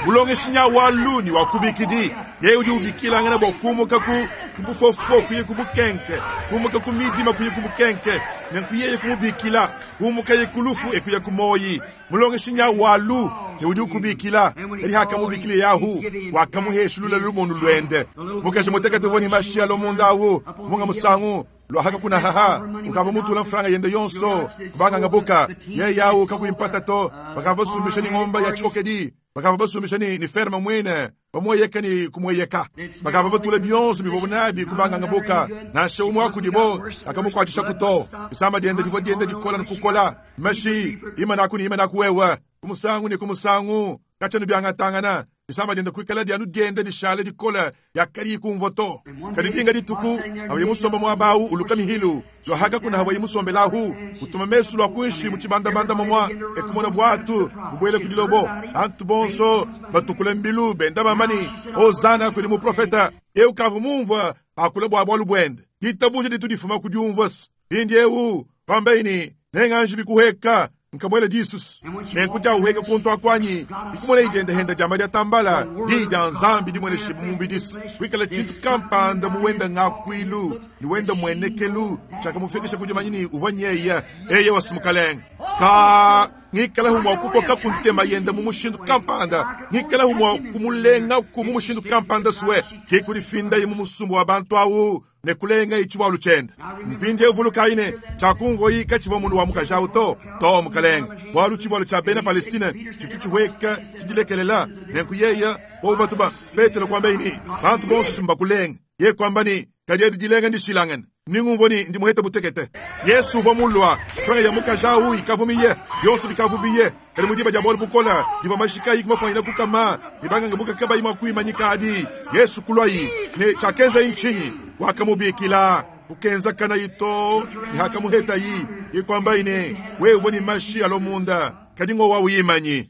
mulongeshi nya walu ni wakubikidi yeye udi ubikilangana bwa kumuka ku kubufofo kuye kubukenke kumuka ku midima kuye kubukenke nenku yeye kumubikila kumuka ye kulufu ekuya kumoyi mulongeshi nya walu ne udi ukubikila eri hakamubikile yahu wakamuheshulula lumonu lwende mukeshi mutekete voni mashia lomundawu munga musangu lwahaka kuna haha ukava mutula mfranga yende yonso kubanganga buka ye yawu kakuimpata to bakava basumbisha ni ng'omba ya chikokedi bakava basumbisha ni, ni ferma mwene bamweyeka ni kumweyeka bakava batula bionso bivobunabi kubanganga buka nashe umwe akudibo akamukwatisha kuto isamba diende divo diende dikola nikukola mashi ima naku ni ima nakuwewa kumusangu ni kumusangu kachanu byangatangana isamba diende kuikala dianu diende dishale dikola yakali kumvoto kadidinga dituku hawaye musomba mwabawu uluka mihilu lwahaka kuna hawaye musombelahu utuma mesu lwa kuishi muchibandabanda momwa ekumona bwatu bubwele kudilobo antu bonso batukule mbilu benda bamani ozana kuli muprofeta eu kavu mumva akula bwa bwalu bwende ditabuje ditu difuma kudiumvas indi eu pambeini nenganji bikuheka nkamwele Jesus nenkuja uheka kuntu akwanyi ikumona ijende henda jamba dia tambala di dia nzambi dimwele shibu mumbidisi kwikala chintu kampanda muwenda ngakwilu niwenda mwenekelu chakamufikisha kujamanyini uvwanyeya eye wasimukalenga ka ngikala humwa kukoka kuntema yenda mumushindu kampanda ngikala humwa kumulenga ku mumushindu kampanda suwe kikulifinda ye mumusumbu wa bantu awu nekulenga ichiwalu chenda mpindi evulukaine chakunvoyi kachiva mundu wa mukajawu to to mukalenga bwalu chivalu cha bena Palestina chitu chihweka chidilekelela nenkuyeya bobatuba Petero kwambaini bantu bonso simbakulenga ye kwambani kadi dilenga ndishilangana ningumvoni ndimuhete butekete Yesu uvwa mulwa twanga ya mukajawu ikavumiye yonso bikavubiye kali mudiba dia bwalu bukola diva mashika ikumafanyila kukama dibanganga bukakaba imakuimanyika adi Yesu kulwayi ne chakenza inchinyi wakamubikila kukenza kana ito ihakamuheta yi ikwamba ine wewe ni mashi alomunda kadingo wa uyimanyi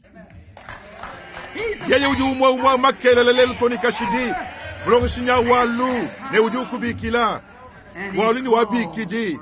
yeye udi umwa umwa makelele lelo toni kashidi mulongeshinya walu ne udi ukubikila walu ni wabikidi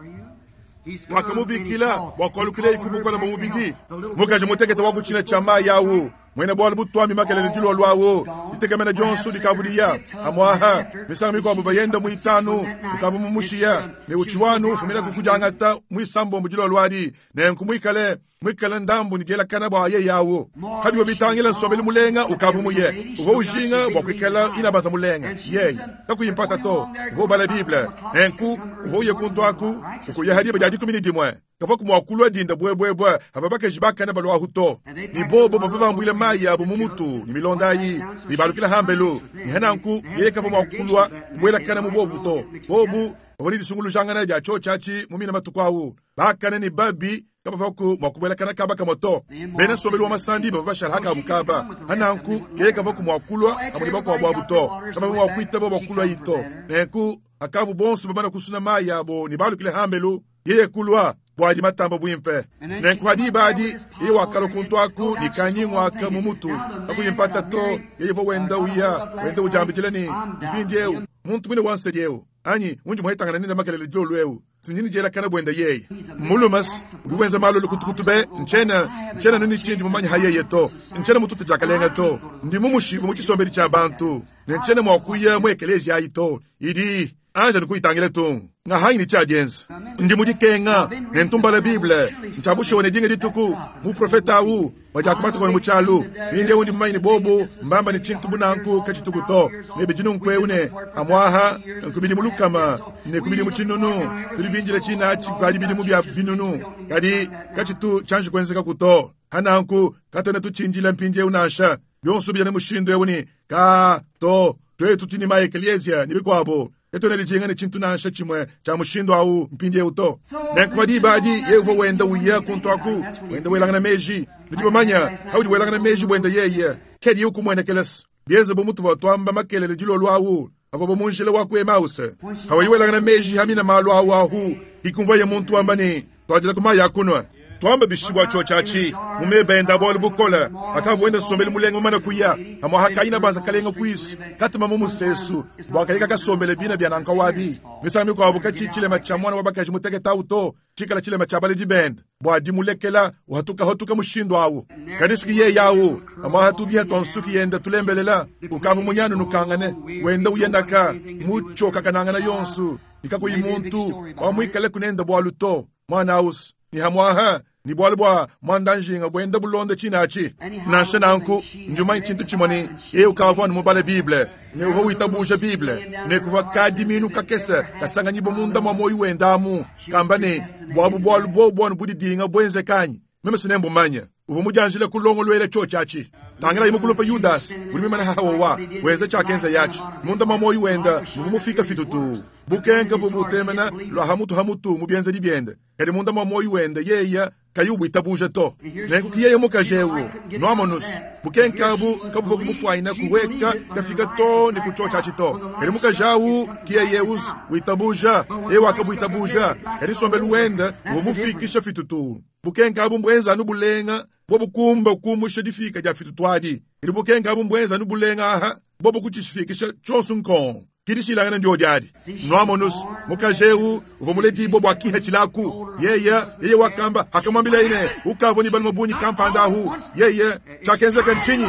wakamubikila wakwalukile ikubukola mumubidi mukaji mutekete wakuchina chama yawu mwene bwalu butwami makelele dilwa lwawo litegemena jonso likavuliya amwaha misango mikwabo bayenda muitanu ukavu mumushiya ne uchiwanu ufumila kukujangata mwisambombo dilwa lwadi nenku mwikale mwikale ndambu nidielakana bwa ye yawo kabiwa bitangila nsombeli mulenga ukavu muye uvo ujinga bwa kwikala inabanza mulenga yeye kakuyimpata to uvo ubala Bible nenku uvo uye kuntu aku ukuya hadiba dia dikumi ni dimwe Kavaku mua kulua dinda bwebwebwe ava bakaji bakana balwahu to. Ni bobo bava bambwile mayi abo mu mutu ni milonda ayi ni balukila hambelu ni hananku yeye kava mua kulua kubwelakana mu bobu to. Bobu bavua ne disungulujangana dia tshiotshi mu mina matuku awu bakana ni babi kabavaku mua kubwelakana kaba kamwe to. Bena nsombelu wa masandi bavua bashala hakabu kaba hananku yeye kavaku mua kulua amwe ne bakuabu abu to. Kabavua mua kuitaba bua kulua yi to. Nenku akavu bonso bamana kusuna mayi abo ni balukile hambelu yeye kulua bwadi matamba bwimpe. Nenku hadi badi yeye wakala kuntu aku ni kanyingwa mu mutu akuyimpata to yeye vo wenda uya wenda ujambijile ni mpindi eu muntu mwine wansedi eu anyi undi muhetangana nenda makelele dilolu eu sinjini jela kana bwenda yeye mulumas uri wenza malo lukutukutu be nchena nchena nini chindi mumanyi hayeye to nchena mututu jakalenga to ndi mumushibu mu chisombeli cha bantu ne nchena mwakuya mu ekelezia ayi to idi anja nikuitangile tu nga hanyi ni chadienza ndi mudikenga ne ntumbala bible nchabushiwa ne dinga dituku mu profeta awu wajakumata kone muchalu binde undi mumanyi ni bobu mbamba ni chintu bunanku kachituku to ne bijinu nkwewu ne amwaha nkubidi mulukama ne kubidi muchinunu tuli binjira china chikali bidi mu bya binunu kadi kachitu chanji kwenzeka kuto hananku katana tuchinjila mpinje unasha byonso bya ne mushindo ewu ka to twetu tini ma eklezia ni bikwabo eto ne lijinga ne chintu nansha chimwe cha mushindo au mpinje uto nenku badi yevo wenda uya kuntu aku wenda welangana meji nitibamanya haudi welangana meji bwenda yeye kedi yukumwenekelesa bienze bomutu watwamba makelele dilolo awu avo bomunjila wa ku Emause hawa welangana meji hamina malu awu ahu ikumva ye muntu wambani twajila kumaya kunwa twamba bishibwa chochachi mumebenda bolu bukola akavuenda sombele mulengo mana kuya amwa hakaina banza kalenga kuisu katuma mumusesu bwakalika kasombele bina bya nanka wabi misami kwa abuka chichile macha mwana wabakaji muteketa uto chikala chile machabale dibenda bwa dimulekela uhatuka hatuka mushindo awu kadisiki ye yawu amwa hatubia tonsuki yenda tulembelela ukavu munyanu nukangane wenda uyendaka muchoka kanangana yonsu ikakuyi muntu wamwikale kunenda bwaluto mwana aus ni hamwaha ni bwali bwa mwandanjinga bwenda bulonde chinachi nansha nanku njuma chintu chimoni e ukavwa ni mubale bible ne uva witabuja bible ne kuva kadi minu kakese kasanganyibo munda mwa moyo wendamu kamba ne bwabu bwalu bwo budi dinga bwenze kanyi meme sinembo manya uva mujanjile kulongolwele chochachi tangela imukulupa Yudas uli mimana hawa weze chakenza yachi munda mwa moyo wenda muvumufika fitutu bukenka bubutemena lwa hamutu hamutu mubienze dibiende kadi munda mwa moyo wenda yeya kayubu itabuja to nenku kiyeye mukajewu nwamonus bukenka bu kabuva kumufwaina kuweka kafika to ni kuchocha chito kadi mukajawu kiyeyeus witabuja ewa kabuitabuja kadi sombelu wenda bumufikisha fitutu bukenka bu mbwenza nubulenga bobukumba kumusha difika dia fitutwadi kadi bukenka bu mbwenza nubulenga aha bobu kuchishifikisha chonsu nkon kidishilangana ndio diadi nwamonus mukajewu uvomuledi bobo akiha chilaku yeye yeye wakamba akamwambila ine ukavo ni balima bunyi kampanda ahu yeye chakenzeka nchinyi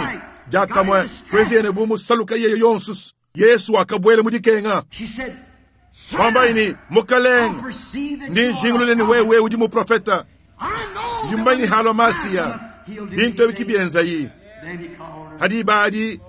jakamwe kwezi ene bumu saluka yeye yonsus Yesu akabwele mudikenga kwamba ini mukalenga ndi njingululeni wewe udi mu profeta ndimbanyi halo masia bintu ebikibienza yi hadi badi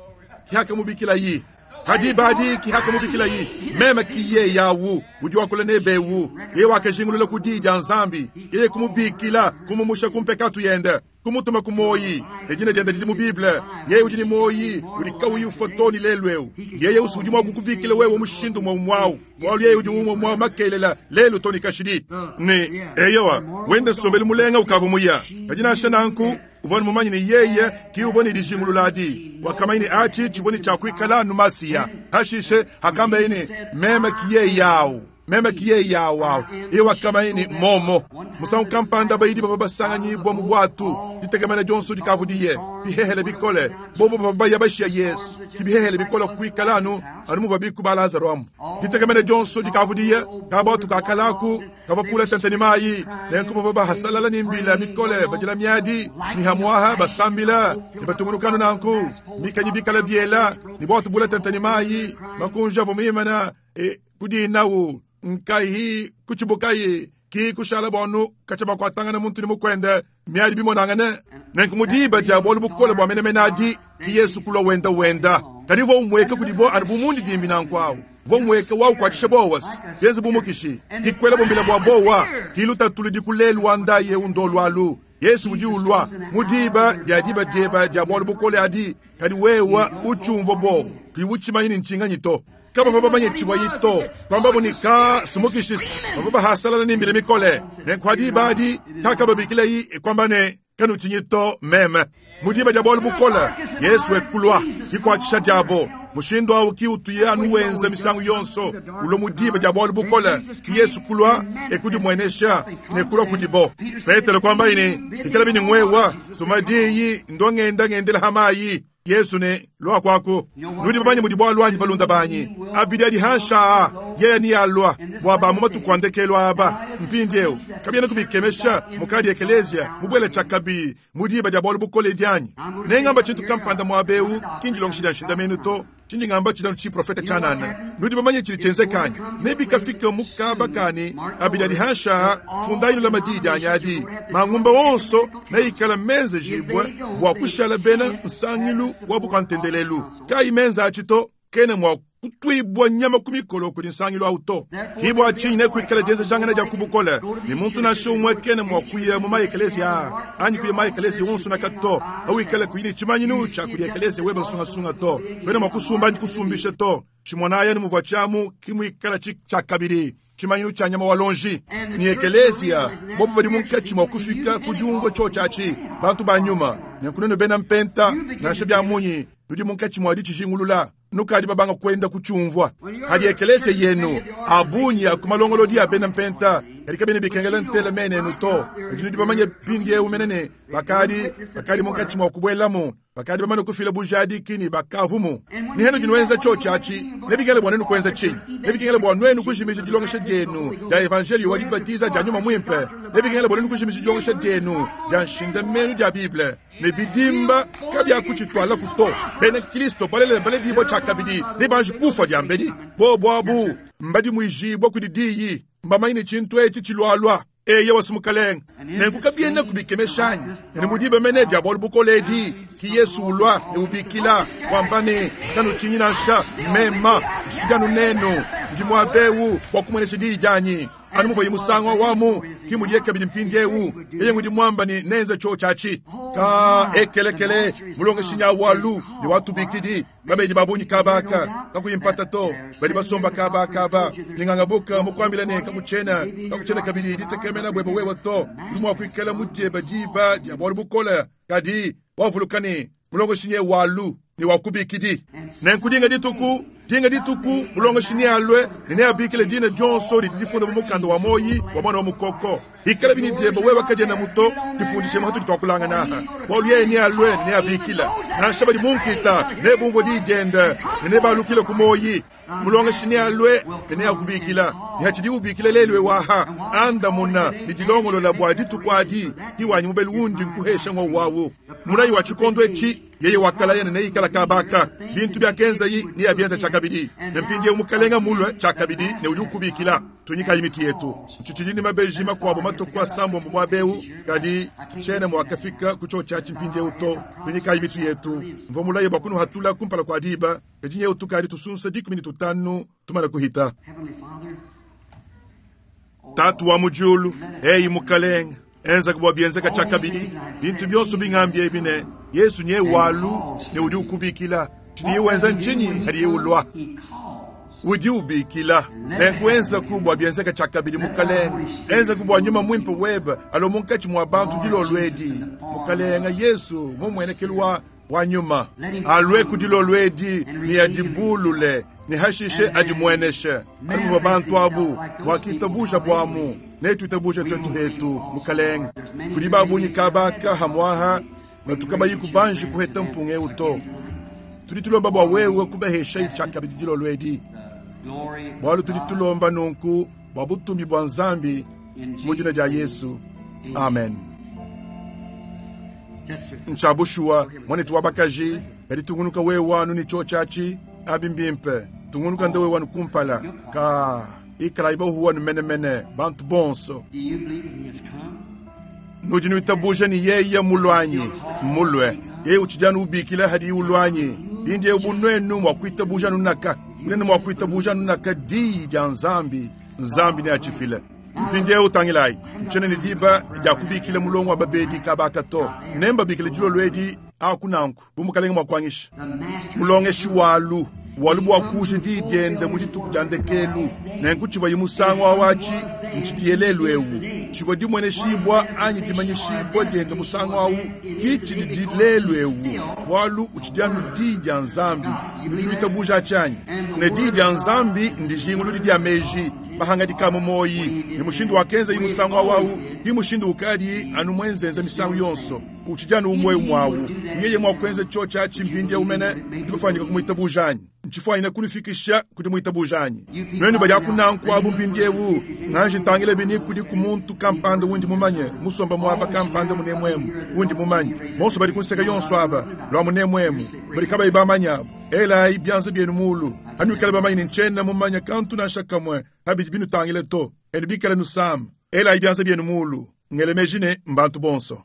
kihakamubikila yi hadi badi kihakamubikila yi meme kiye yawu udi wakula nebewu ye wakajingulula kudija nzambi ye kumubikila kumumusha kumpekatu yende kumutuma kumoyi ejina jenda didi mu bible yeye udi ni moyi udi kauyi ufotoni lelweu yeye usudi mwa kukubikila wewe mushindu mwa mwawu bwalu yeye udi umwe mwa makelela lelu toni kashidi ni eyowa wende sombeli mulenga ukavu muya kajina shananku uvoni mumanyi ni yeye ki uvoni dijingululadi wakamaini achi chivoni cha kuikala numasiya hashishe hakamba ini meme kiye yawu meme kiye yawu iwa kamaini momo musangu kampanda bayidi bava basanganyibwa mu bwatu ditegemena dyonso dikavudiye bihehele bikole bobo bava baya bashiya Yesu kibihehele bikole kuikala anu anu muva bikuba Lazaro amu ditegemena dyonso dikavudiye kabwatu kakalaku kava kula tenteni mayi nenku bava bahasalala ni mbila mikole bajila miadi ni hamwaha basambila ni batungunukanu nanku mikanyi bikala biela ni bwatu bula tenteni mayi makunja vomimana e kudinawu nkahi kuchibukayi ki kushala bonu kachaba kwatangana muntu ni mukwende miadi bimonangane nenku mudiba dia bolu bukole bwa menemenadi ki Yesu kulwa wenda wenda kadivo umweka kudibo anu bumundi dimbi nankwawu Uvua mweka waukwatshisha bowasi yenze bumukishi dikwela bumbila bwa bowa kilutatu ludi kulelu wandaye undolwalu Yesu udi ulwa mudiba dia diba dieba dia bwalu bukole adi kadi wewa uchumva bo kiwuchimanyini nchinganyi to kama vaba chibwa yito kwamba bunika sumukishis bava hasalala nimbile mikole nenkwadi badi takababikile yi kwamba ne kanuchinyito meme mudiba dia bwalu bukola Yesu ekulwa ikwachisha diabo mushindo awu kiutuye anuwenza misangu yonso ulo mudiba dia bwalu bukola Yesu kulwa ekudi mwenesha nekulwa kudibo Petero kwamba ine ikala bini ngwewa tumadiyi ndongenda ngendela hamayi Yesu ne lwa kwako nudi babanyi mudi bwalwanyi balunda banyi abidi adi hansha yeye ni alwa bwaba mu matukwandekelo aba mpindiewu kabyena kubikemesha mukadi ekelesia mubwele chakabi mudiba dia bwalu bukole dyanyi nengamba chintu kampanda mwabeu kinjilongoshi dia nshinda to chindi ngamba chidanu chi profeta chanana nudi bamanye chili chenzekanya nebikafika mukaba kani abidi adi hansha fundaino la madidi anyadi mangumba wonso neikala menze jibwe bwa kushala bena nsangilu wa bukwantendelelu kai menza achito kene mwa kutwibwa nyama kumikolo kuli nsangilu auto kibwa chinyi nekuikala jenze jangana ja kubukole ni muntu nasho umwe kene mwa kuya mu maekelesia anyi kuya maekelesia wonso na kato awikala kuyini chimanyinu cha kuli ekelesia weba nsungasunga to bene mwa kusumba anyi kusumbisha to chimwanaya ni muvwa chamu kimwikala chakabiri chimanyinu cha nyama walonji ni ekelesia bobo bali munkachi mwa kufika kudiungwa cho chachi bantu ba nyuma nyakunene bena mpenta nashe bya munyi nudi munkachi mwa dichijingulula nukadi babanga kwenda kuchumvwa hadi ekelesia yenu abunyi akumalongolodi ya bena mpenta kalika bene bikengela ntela menenu to kadi bamanye pindi eumenene bakadi bakadi munkachi mwa kubwelamu bakadi bamane kufila bujadi kini bakavumu ni henu jinwenza cho chachi nebikengele bwa nenu kwenza chinyi nebikengele bwa nwenu kujimisha dilongesha dyenu dia evangelio wa dibatiza dia nyuma mwimpe nebikengele bwa nenu kujimisha dilongesha dyenu dia nshindamenu dia bible nebidimba kabyakuchitwala kuto bene kristo balele baledibo chakabidi nebanji kufa dyambedi bo bwabu mbadi mwijibwa kudidiyi mbamaine chintu echi chilwalwa eye wasumukalenga nenkukabyena kubikemeshanyi ene mudiba mene dia bwalu bukoledi ki Yesu ulwa neubikila kwambane kanuchinyi nansha mema ndichidanu nenu ndi mwabewu wakumwenesha diyi dyanyi anu muvayi musango wamu kimudiye kabidi mpindiewu eye ngudi mwamba ni nenze cho chachi ka ekelekele mulongeshinya walu ni watubikidi babedi babunyi kabaka kakuyimpata to bali basomba kabakaba ningangabuka mukwambila ne kakuchena kakuchena kabidi ditekemena bwebe wewe to lumwakwikala mudyeba diba dia bwalu bukola kadi wavulukani mulongeshinye walu ni wakubikidi nenkudinga dituku dinga dituku mulongeshinye alwe nene abikile dina jonso lidifunda mu mukanda wa moyi wa mwana wa mukoko ikala bini dyeba wewe kajena muto difundishe muhatu ditwakulanga naha bwalu yeye ni alwe nene abikila nansha badi munkita ne bumvo dijenda nene balukile ku moyi mulongeshinye alwe nene akubikila nihachidi ubikila lelwe waha andamuna nidilongolola bwa dituku adi iwanyi mubeli wundi nkuhesha ngo wawu mulayi wa chikondo echi yeye wakalaya nene ikala kabaka bintu byakenza yi ni abyenza chakabidi nempindie umukalenga mulwe chakabidi ne udi ukubikila tunyika imiti yetu nchichilini mabeji makwabo matoko asambo mwabewu kadi chene mwakafika kucho chachi mpindie uto tunyika imiti yetu mvo mulayi bwa kunu hatula kumpala kwa diba ejinye utukali tusunsa dikumi ni tutanu tumala kuhita tatu wa mujulu eyi mukalenga enza kubwa byenzeka chakabidi bintu byonso bingambye ebine Yesu nye walu ne udi ukubikila chidi wenza nchinyi hadi ulwa udi ubikila nenkuenza kubwa byenzeka chakabidi mukalenga enza kubwa nyuma mwimpe weba alo munkachi mwa bantu dilolwedi mukalenga Yesu mumwenekelwa wa nyuma alwe kudilolwedi ni adibulule ni hashishe adimweneshe alimuva bantu abu bwakitabusha bwamu netuitabusha twetu hetu mukalenga kuli babunyi kabaka hamwaha batukabayiku banji kuheta mpunge uto tudi tulomba bwa wewe kubahesha ichakabidi dilolwedi bwalu tudi tulomba nunku bwa butumi bwa nzambi mu dina dia Yesu amen nchabushuwa mwanetu wabakaji kadi tungunuka wewe wanu ni cho chachi abimbimpe tungunuka ndewe wanu kumpala ka ikala ibahu wanu menemene bantu bonso nudi nuitabuja ni yeye mulwanyi mulwe yeye uchijanu ubikila hadi ulwanyi lindi ubunwenu mwa kuitabuja nunaka Unene mwa kuitabuja nunaka diyi dia Nzambi, Nzambi neatshifile. Mpindieu tangilayi, ntshiena ne diba dia kubikila mulongo wa babedi kabaka to. Nembabikile dilolo edi aku nanku bu mukalenge mua kuangisha. Mulongeshi walu walu bua kuja diyi diende mu dituku dia ndekelu. Nenku tshivua musangu awatshi ntshidiye lelu eu. Tshivua dimueneshibua anyi dimanyishibua diende musangu awu ki tshidi lelu eu. Bualu utshidi anu diyi dia Nzambi. Nudi nuitabuja tshianyi. Ne diyi dia Nzambi ndijinguludi dia meji. Mahangadika mu moyi ne mushindu wakenza yi musangu awu ki mushindu ukadi anu mwenzenza misangu yonso. Utshidi anu umwe umwawu. Yeye mwa kuenza cho tshiatshi mpindieu mene udi bafanyika kumuitabuja anyi. Ntshifuanyine kunifikisha kudi muitabuja anyi. Nuenu badi akunanku abu mpindieu nganje ntangile bini kudi ku muntu kampanda wundi mumanye musomba muaba kampanda munemwemu wundi mumanye bonso badi kunseka yonso aba lwa munemwemu badi kabayi bamanya abo. Elayi byanza byenu mulu anuikale bamanye ne ntshiena mumanye kantu nansha kamwe habidi binutangile to enu bikale nusama. Elayi byanza byenu mulu ngele meji ne mbantu bonso.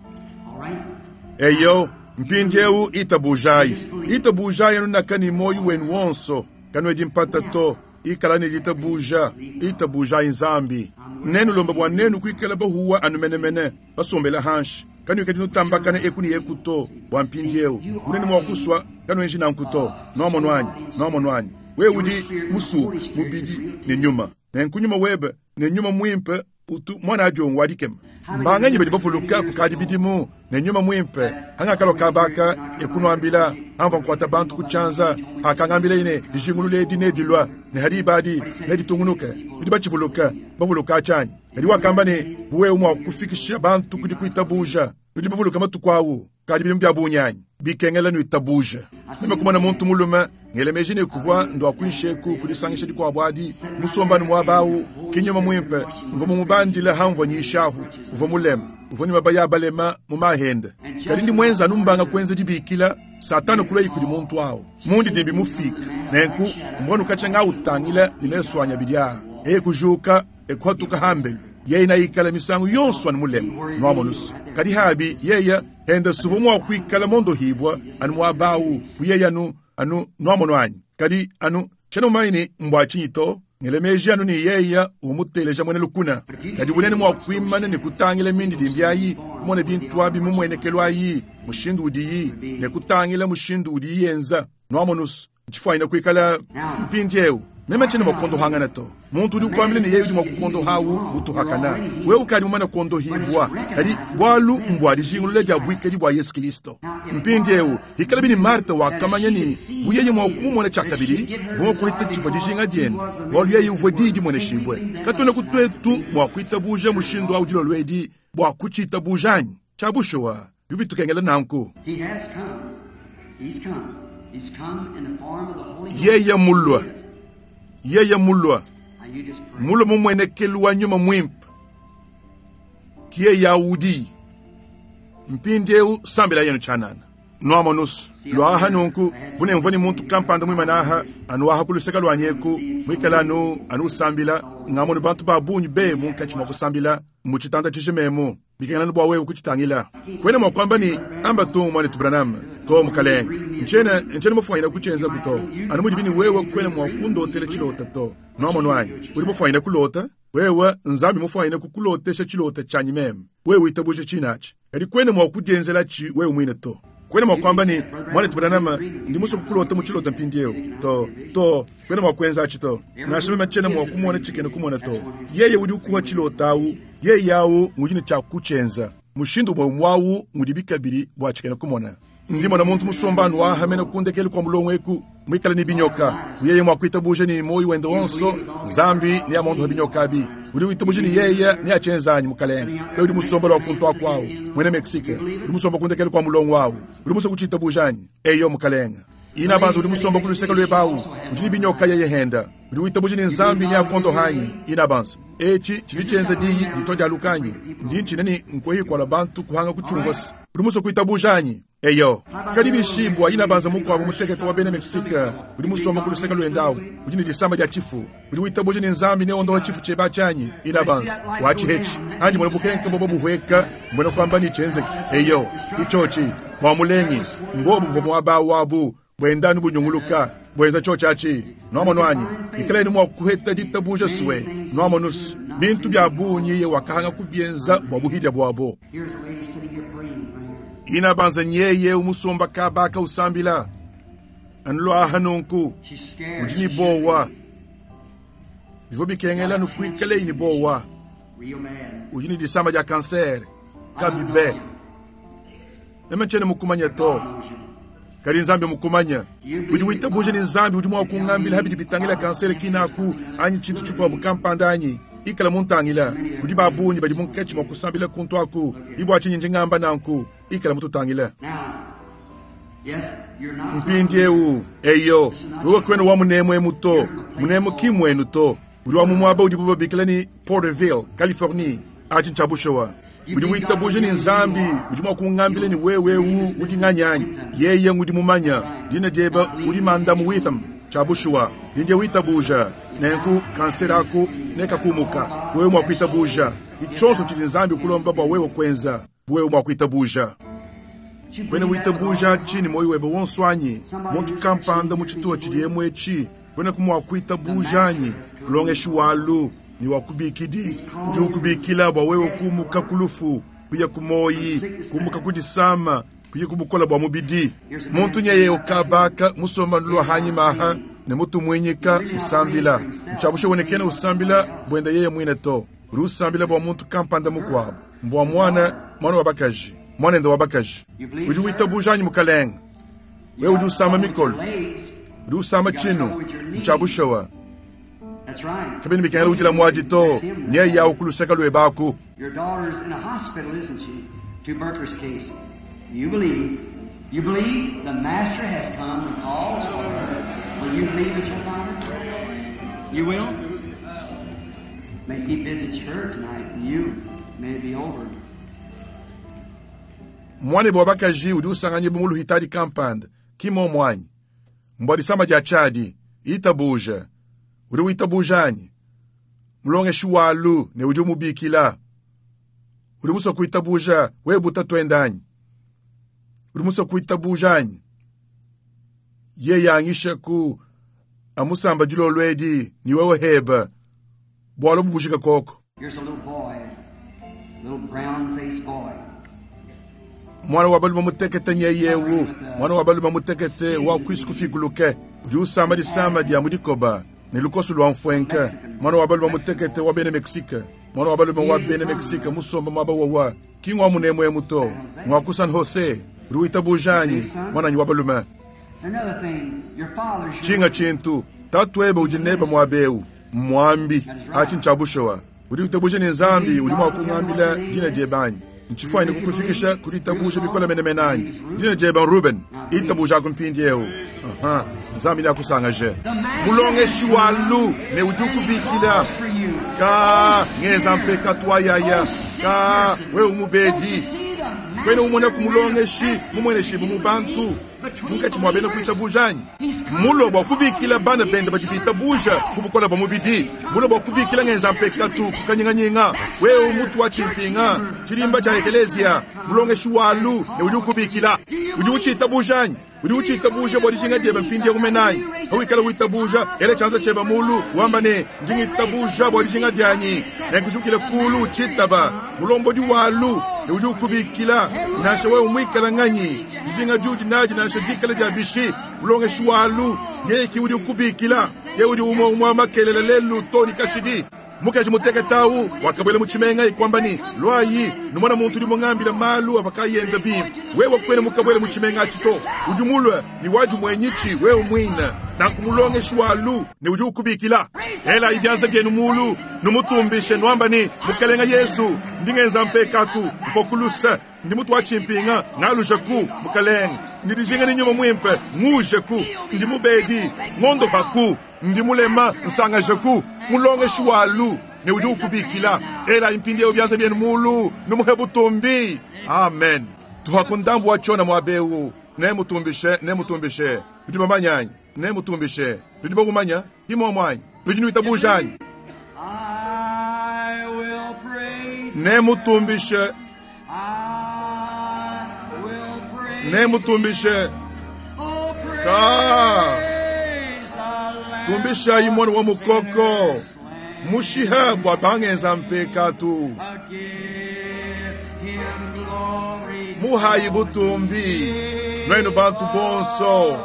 Eyo mpindieu itabujayi itabujayi nunaka ni moyo wenu wonso kanwedi mpata to ikala ne litabuja itabujayi Nzambi. Nenu lomba bwa nenu kuikala bahuwa anumenemene basombela hanshi kanuikadi nutambakana eku ne eku to bwa mpindieu unene mwa kuswa kanwenji nanku to noamono anyi noamono anyi wewe udi musuku mubidi ne nyuma nenku nyuma webe ne nyuma mwimpe utu mwana ajongo wadikema mbanganyi badi bavuluka kukadi bidimu ne nyuma mwimpe hangakalo kabaka ekunuambila amva nkuata bantu kutshanza akangambila ine dijingulule edi nedilwa ne hadi ibadi neditungunuke bidi batshivuluka bavuluka atshanyi kadi wakamba ne buwewe mwa kufikisha bantu kudi kuitabuja bidi bavuluka matuku awu kadi bidimu bya bunyanyi bikengela nuitabuja. Meme kumona muntu mulume ngele meji ne kuvua ndwa kunsheku kudisangisha dikuabu adi musombani muaba awu kinyuma mwimpe mvua mumubandile hamvua nyishahu uvua mulema uvua nyuma baya balema mu mahende kadi ndi mwenza anu mbanga kuenza dibikila Satana kulei kudi muntu awu mundi dimbi mufika nenku mbona ukatshanga utangila ne mesu anya bidia eye kujuka ekuhatuka hambelu yeye naikala misangu yonso anu mulema nwamonusu kadi habi yeye enda suvu mwa kuikala mondohibwa anu muaba awu kuyeye anu anu nwamono anyi kadi anu tshena mumanyi ne mbwa tshinyi to ngele meji anu ne yeye umuteleja mwene lukuna kadi bunene mwa kuimana ne kutangila mindi dimbi ayi kumona bintu abi mumuenekelo ayi mushindu udiyi ne kutangila mushindu udiyi yenza nwamonusu ntshifuanyine kuikala mpindieu meme tshena mwakondohangana to muntu udi ukuambila ne yeye udi mwakukondohawu mutuhakana wewe ukadi mumana kondohibwa kadi bwalu mbwa dijingulula dia buikadi bua Yesu Kristo. Mpindieu ikala bini Marta wakamanya ni buyeye mwakumumona tshiakabidi vumwa kuhita tshivua dijinga diende bwalu yeye uvua diyi dimueneshibwe katwena kutwetu mwakuitabuja mushindu awu dilolo edi bua kutshiitabuja anyi tshiabushuwa bibitukengela nanku. Yeye mulwa yeye mulwa mulwa mumuenekelu wa nyuma mwimpe kiye yaudi mpindieu sambila yenu tshanana nwamonusu lwaha nunku bunemvua ni muntu kampanda mwimana anuaha kuluseka lwanyeku mwikala anu anu usambila ngamonu bantu ba bungi be munkatshi mwa kusambila mu tshitanda tshijimemu bikengela bua wewe kutshitangila kwena mwa kwamba ni amba tu mwana Branham to mukalenge nchena nchena mufuanyina kutshenza kuto anu mudi bini wewe kwena mwa kundotela tshilota to nwamono anyi udi mufuanyina kulota wewe Nzambi mufuanyina kukulotesha tshilota tshanyi meme wewe witabuje tshinatshi kadi kwena mwa kudienzela tshi wewe mwine to kwena mwa kwamba ni mwana Branham ndi muso kukulota mu tshilota mpindieu to to kwena mwa kuenza tshi to nasha meme tshena mwa kumona tshikene kumona to yeye udi ukuha tshilota awu yeye yawu ngudi tshia kutshenza mushindu mwe mwawu ngudi bikabiri bwa tshikene kumona ndimo na muntu musombanu wahamene kundekele kwa mulongo eku mwikala ni binyoka yeye mwa kuitabuja ni moyo wende wonso Nzambi ni amondo binyoka bi udi uitabuje ni yeye ni achenzanyi mukalenge wewe udi musomba lwa kuntu akwawu mwene Mexique udi musomba kundekele kwa mulongo wawu udi muso kuchitabujanyi eyo mukalenge ina banza udi musomba kuluseka lwebawu udi ni binyoka yeye henda udi uitabuje ni Nzambi ni akondo hanyi ina banza echi chilichenza diyi ditoja lukanyi ndi nchineni nkweyi kwa bantu kuhanga kuchungosi udi muso kuitabujanyi eyo kadi bishibwa ina banza mukwabo muteketo wa bene Mexique udi musomba kuluseka lwendawu udi ni disamba dia chifu udi uitabuje ni Nzambi ne ondoha chifu cheba chanyi ina banza wachihechi anji mwana bukenke bobo buhweka mbona kwamba ni chenzeki eyo ichochi bwa mulengi ngobu bwa mwaba wabu bwendanu bunyunguluka Bweza cho chachi nwamonu anyi ikaleni mwa kuheta ditabuja swe nwamonus bintu bya bunyi ye wakahanga kubyenza bwa buhidya bwabo. Here's a lady sitting here praying right here. Ina banza nyeye umusomba kabaka usambila anlwaha nunku She's scared. udi ni bowa bivyo bikengela nukwikale ni bowa Real bad. udi ni disamba dia kansere I don't kabibe know you. meme nchene mukumanya to God knows you. kali nzambi mukumanya udi witabuje ni nzambi udi mwakungambila habidi bitangila kansere kinaku anyi chintu chikwabu kampanda anyi ikala muntangila udi babunyi badi munketshi mwa kusambila kuntu aku ibwa chinyi njingamba nanku ikala mututangila Now, yes, you're not. mpindi ewu eyo wewe kwenu wa munemu emu to munemu kimwenu to udi wa mumwaba udi bubabikila ni Porterville Californie achi nchabushowa udi witabuje ni nzambi udi mwakungambila ni wewewu udi ng'anyanyi yeye ngudi mumanya dina jeba udi mandamu Witham chabushuwa dindye witabuja nenku kansera aku nekakumuka wewe mwakwitabuja ichonso chili nzambi kulomba bwa wewe kwenza wewe mwakwitabuja You kwene believe that with all witabuja your heart? chini moyo webe wonswanyi muntu kampanda mu chituo chili emwechi kwene kumwakwitabujanyi kulongeshi walu ni wakubikidi udi ukubikila bwa wewe kumuka kulufu kuya kumoyi kumuka kudisama kuya kumukola bwa mubidi muntu nyeye ukabaka musomba nulwa hanyimaha ne mutu mwinyika usambila nchabusha wonekene usambila bwenda yeye mwine to uri usambila bwa muntu kampanda mukwabo mbwa mwana mwana wa bakaji mwana enda wa bakaji udi witabujanyi mukalenga wewe udi usamba mikolo Legs. udi usamba chinu nchabushawa That's right. kabini bikengela ujila mwadi to nyeye yawu kuluseka lwebaku Your daughter's in a hospital, isn't she? Tuberculosis case. You believe. You believe the Master has come and calls for her. Will you believe as her father? You will? May he visit her tonight and you. May it be over. mwana bwa bakaji udi usanganye bumuluhitadi kampanda kimo mwanyi mbwa disamba dia chadi itabuja udi witabujanyi mulongeshi walu ne udi umubikila udi muso kuitabuja wewe butatwendanyi udi muso kuitabujanyi ye yangisha ku amusamba dilolwedi ni wewe heba bwalo bubujika koko Here's a little boy, little brown-faced boy. mwana wa balume mutekete nyeyewu mwana wa balume mutekete wa kwisi kufikuluke udi usamba disamba dia mudikoba ne lukoso lwa mfwenka mwana wa balume mutekete wa bene Mexique mwana wa balume wa bene Mexique musomba mwaba wawa kingwa munemwemu to mwa ku San Jose uri witabujanyi mwananyi wa balume Another thing, your father's your chinga chintu tatu ebe udi neba mwabeu mwambi achi nchabushowa udi utabuje ni nzambi udi mwakungambila dina jebanyi nchifwani kukufikisha kuli tabuje bikola menemenanyi dina jeba Ruben itabuja kumpindi eu aha nzambi nakusangaje mulongeshi walu ne udi ukubikila ka ngeza mpeka twayaya ka wewe umubedi kwene umona kumulongeshi mumweneshi bumubantu munkatshi mwa bena kuitabujanyi mulo bwa kubikila bana bende badi bitabuja kubukola bwa mubidi mulo bwa kubikila ngenza mpekatu kukanyinganyinga wewe mutu wa chimpinga chilimba cha ekelezia mulongeshi walu ne udi ukubikila udi uchitabujanyi udi uchitabuja bwa dijinga diebe mpindi yakumenanyi hawikala witabuja ele chanza cheba mulu wamba ne ndingitabuja bwa dijinga dyanyi nenkushukile kulu uchitaba mulombodi walu ne udi ukubikila nansha wewe umwikala nganyi dijinga judi naji nansha dikala dia bishi mulongeshi walu yeki udi ukubikila ye udi umwe umwe makelela lelu toni kashidi mukaji muteketawu wakabwela muchimenga ikwambani lwayi numona muntu udi mungambila malu avakayenda bimpe wewe kwene mukabwela muchimenga achito udi mulwe ni waji mwenyichi wewe mwina nankumulongeshi walu ne udi ukubikila ela ibyanza byenu mulu numutumbishe nwambani mukalenga Yesu ndingenza mpekatu mfokulusa ndi mutu wa chimpinga ngalujaku mukalenga ndidijinga ni nyuma mwimpe ngujeku ndi mubedi ngondo baku ndi mulema nsangajeku mulongeshi walu ne udi ukubikila ela impindi eo byanza byenu mulu numuhe butumbi amen tuhakundambu wachona mwabewu ne mutumbishe ne mutumbishe tudi bamanyanyi ne mutumbishe tudi bakumanya imomwanyi tudi nuitabujanyi I will praise. ne mutumbishe I will praise. ne mutumbishe Oh, praise Ka. Tumbishayi mwana wa mukoko mushiha bua bangenza mpekatu. Muhayi butumbi nwenu bantu bonso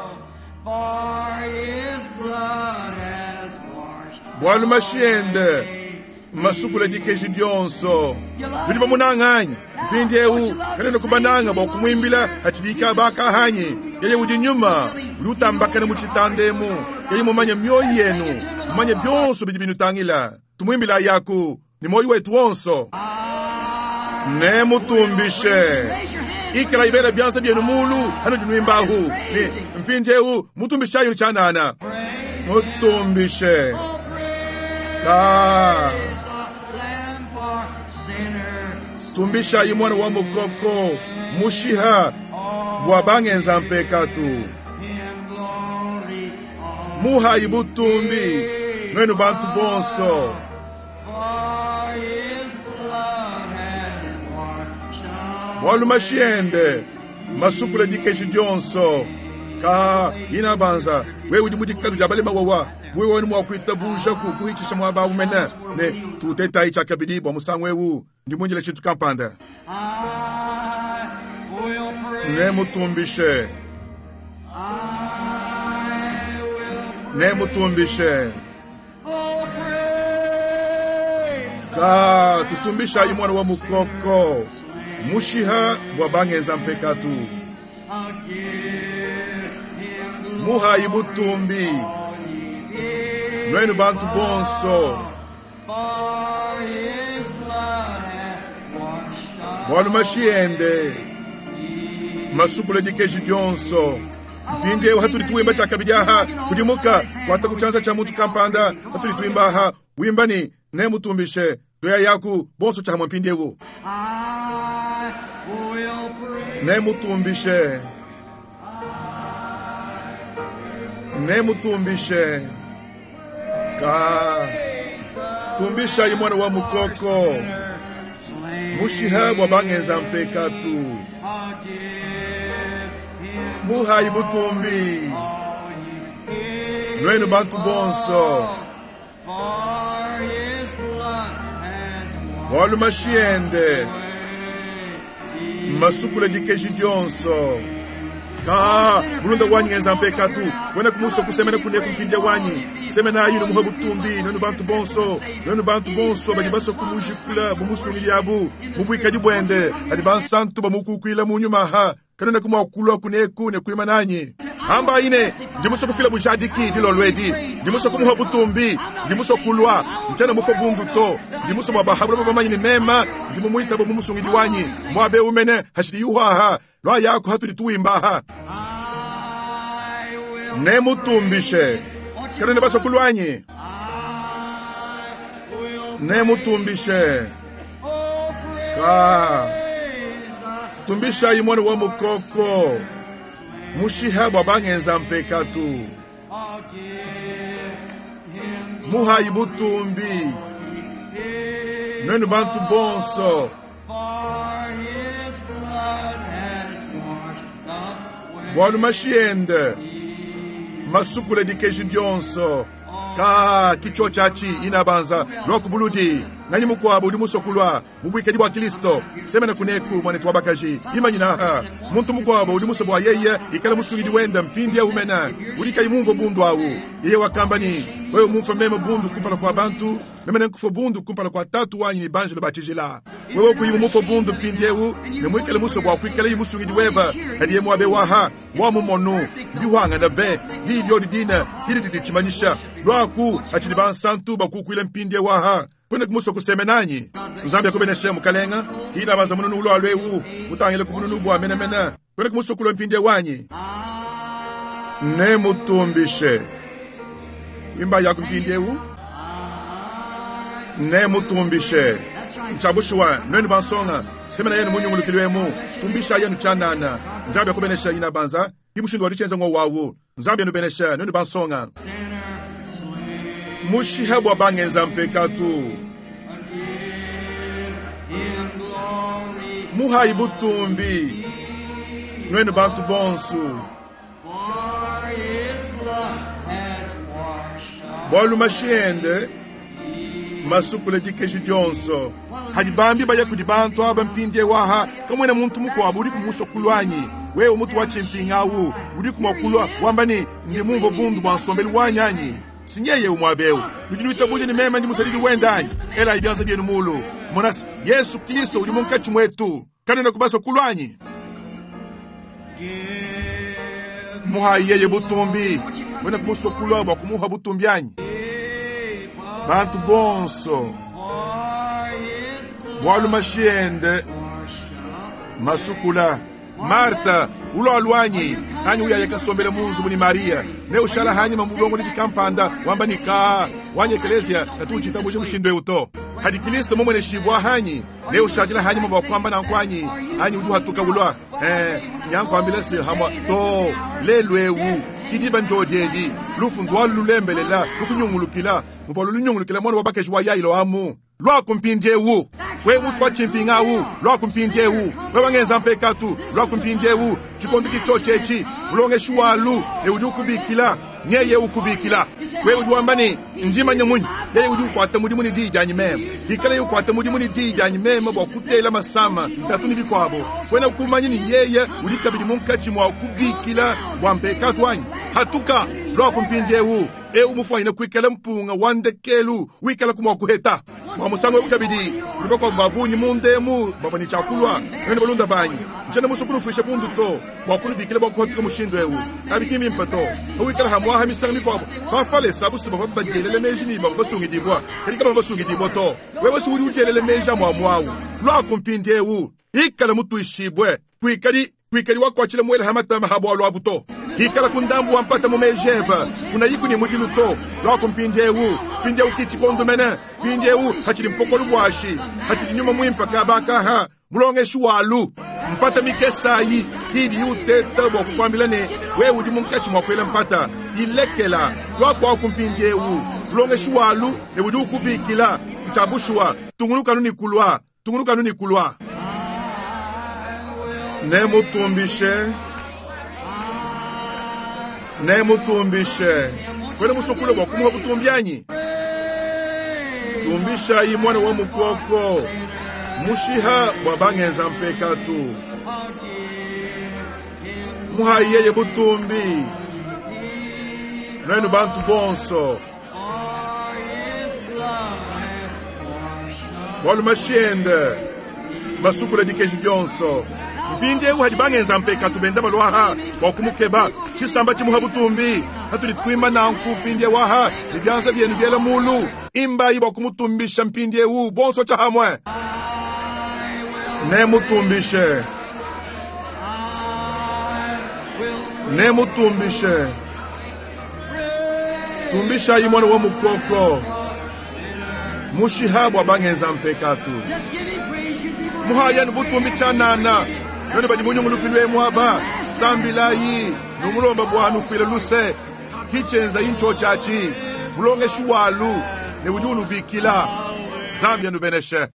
bwalu mashiende masukula dikeji dionso tuli bamunanganya mpindiewu kanene kubananga bwa kumwimbila hachidika bakahanyi yeye udi nyuma udi utambakana mu tshitandemu yeye mumanye mioyo yenu mumanye byonso bidi binutangila tumwimbila yaku ni moyo wetu wonso ne mutumbishe ikala ibela byanza byenu mulu hano dinwimbahu ni mpindiewu mutumbishayo chanana mutumbishe ka tumbishayi mwana wa mukoko mushiha bwa bangenza mpekatu muhayi butumbi nwenu bantu bonso bwalu mashiende masukula dikeji dionso ka ina banza wewe udi mudikalu dia balema wawa wewe wani mwa kuitabuja ku kuhitisha mwa ba umene ne tutetayi tshakabidi bwa musangu ewu ndi munjila tshintu kampanda ne mutumbishe ne mutumbishe ka tutumbishayi mwana wa mukoko mushiha bwa bangenza mpekatu muhayi butumbi nwenu bantu bonso bwalu mashiende masukula dikeji dionso mpindiewu hatuli tuwimba tshakabidi aha kudimuka kwata kutshanza tsha mutu kampanda hatuli tuwimba aha wimba ni ne mutumbishe toya yaku bonso tshahamwa mpindiewu ne mutumbishe ne mutumbishe ka tumbishayi mwana wa mukoko mushiha bwa bangenza mpekatu muhayi butumbi nwenu bantu bonso bwalu mashiende masukula dikeji dionso ka bulunda wanyi ngenza mpekatu kwena kumuso kusemena kune kumpindya wanyi semena ayino muha butumbi nwenu bantu bonso nwenu bantu bonso badi baso kumujikula bumusungili abu mubwikadi bwende adi bansantu bamukukwila munyuma ha kanena kumwakulwa kuneku ne kuima nanyi amba ine ndimuso kufila bujadiki dilolwedi ndimuso kumuha butumbi ndimuso kulwa nchana mufo bundu to ndimuso bwa bahabula bamanyini mema ndimumuita bomumusungidi wanyi mwabe umene hashidi yuhaha lwa yako hatuli tuwimbaha ne mutumbishe kanene baso kulwanyi ne mutumbishe ka tumbishayi mwana wa mukoko mushiha bwa bangenza mpekatu muhayi butumbi nwenu bantu bonso bwalu mashiende masukula dikeji dionso ka kicho chachi inabanza lwakubuludi nanyi mukwabo udi musokulwa mubwikedi bwa kristo semena kuneku mwanetu wa bakaji imanyinaha muntu mukwabo udi muso bwa yeye ikala musungidi wenda mpindi yaumena udi mumvo bundu awu yeye wakambani wewe mumfa meme bundu kumpala kwa bantu meme nenkufa bundu kumpala kwa tatu wanyi ni banjelo batshijila wewe kuyimu mufo bundu mpindi ewu ne mwikale muso bwa kwikala yi musungidi weba hadiye mwabe waha wa mumonu mbihwangana be dilyo didina kili didi tshimanyisha lwaku atshidi bansantu bakukwila mpindi ewu aha kwene kumuso kusemenanyi tuzambia kubeneshe mukalenga kila banza mununu ulwa lwewu mutangile kubununu bwa menemene kwene kumuso kulwa mpindi wanyi ne mutumbishe imba yako mpindi ewu ne mutumbishe nchabushuwa nwenu bansonga semena yenu munyungulukilwemu tumbisha yenu chanana nzambi akubenesha ina banza imushindu walichenza ngo wawu nzambi yenu benesha nwenu bansonga mushiha bwa bangenza mpekatu muhayi butumbi nwenu bantu bonsu Bualu mashi ende masukule dikeji dionso. Hadi bambi baya kudi bantu aba mpindiewu aha, kamuena muntu mukuabu udiku musue kulua anyi? Wewe mutu wa tshimpinga awu udiku mua kulua wamba ne, ndi mumvue bundu bua nsombelu wanyi anyi? Si nyeye muaba eu. Nudi nuitabuja ne meme ndi musadidi wende anyi? Elayi bianza bienu mulu. Mona se, Yesu Kristo udi munkatshi muetu. Kanuena kubasue kulua anyi? Muhayi yeye butumbi. Wena kumusue kulua bua kumuha butumbi anyi? Bantu bonso bualu mashi ende masukula. Marta ulua anyi anyi uyaya kasombela mu nzubu ni Maria ne ushala hanyima mu bulongolodi kampanda wamba ni ka wanyi ekelesia katu utshitabuje mushindu eu to. Hadi Kristo mumueneshibua hanyi ne ushadila hanyima bua kuamba nanku anyi anyi udi uhatuka ulua eh nyankuambila se hamwa to lelu eu kidiba njodiedi lufu ndwalu lulembelela lukunyungulukila muvua lunyungulukila mwana wa bakeji wa Yailo amu lwaku mpindiewu. Wewe mutu wa tshimpinga awu lwaku mpindiewu. Wewe wangenza mpekatu lwaku mpindiewu. Tshikondo kitshotshi mulongeshi walu ne udi ukubikila nyeye ukubikila. Wewe udi wamba ne ndimanya munyi yeye udi ukuata mudimu ne diyi dianyi meme dikala yeye ukuata mudimu ne diyi dianyi meme bua kutela masama ntatu ne bikuabo. Wena kumanya ne yeye udi kabidi munkatshi mua kubikila bua mpekatu wanyi. Hatuka lwaku mpindiewu. Eu mufuanyine kuikala mpunga wa ndekelu wikala kumua kuheta bua musangu eu kabidi kuli bakuabu ba bungi mu ndemu bavua ne tshiakulua nene balunda banyi ntshiena musue kunufuisha bundu to bua kunubikila bua kuhatuka mushindu eu abi ki mbimpe to pawikala hamuaha misangu mikuabu bafalesa abusu bavua badielela meji ne bavua basungidibua kadi kabavua basungidibua to. Wewe si udi udielela meji amuamuawu lwaku mpindiewu ikala mutuishibue kuikadi kuikadi wakuatshila muele ha matama ha bualu abu to. Hikala kundambu wa mpata mu mejeba unayiku ni mudilu to lwaku mpindiewu mpindiewu kitshikondo mene mpindiewu hatshidi mpokolo bwashi hatshidi nyuma muimpe kabakaha mulongeshi walu mpata mikesayi kidi uteta bua kukuambila ne wewe udi munkatshi mua kuela mpata ilekela lwakuaku mpindiewu mulongeshi walu ne udi ukubikila ntshabushuwa tungunukanu ni kulua tungunukanu ni kulua nemutumbishe nemutumbishe kwena musukule bua kumuha butumbi anyi? Tumbishayi mwana wa mukoko mushiha bua bangenza mpekatu muhayi yeye butumbi nwenu bantu bonso bualu mashi ende masukula dikeji dionso. Mpindiewu hadi bangenza mpekatu benda balwaha bua kumukeba tshisamba tshimuha butumbi hatudi tuimba nanku mpindiewu aha ne bianza bienu biela mulu imbayi bua kumutumbisha mpindiewu bonso tshiahamwe nemutumbishe nemutumbishe tumbishayi mwana wa mukoko mushiha bua bangenza mpekatu muhayanu butumbi tshianana none badi munyungulukilwe emu aba sambilayi numulomba bua nufuile luse kitshenza intsho tshiatshi mulongeshi walu ne udi unubikila Nzambi anubeneshe.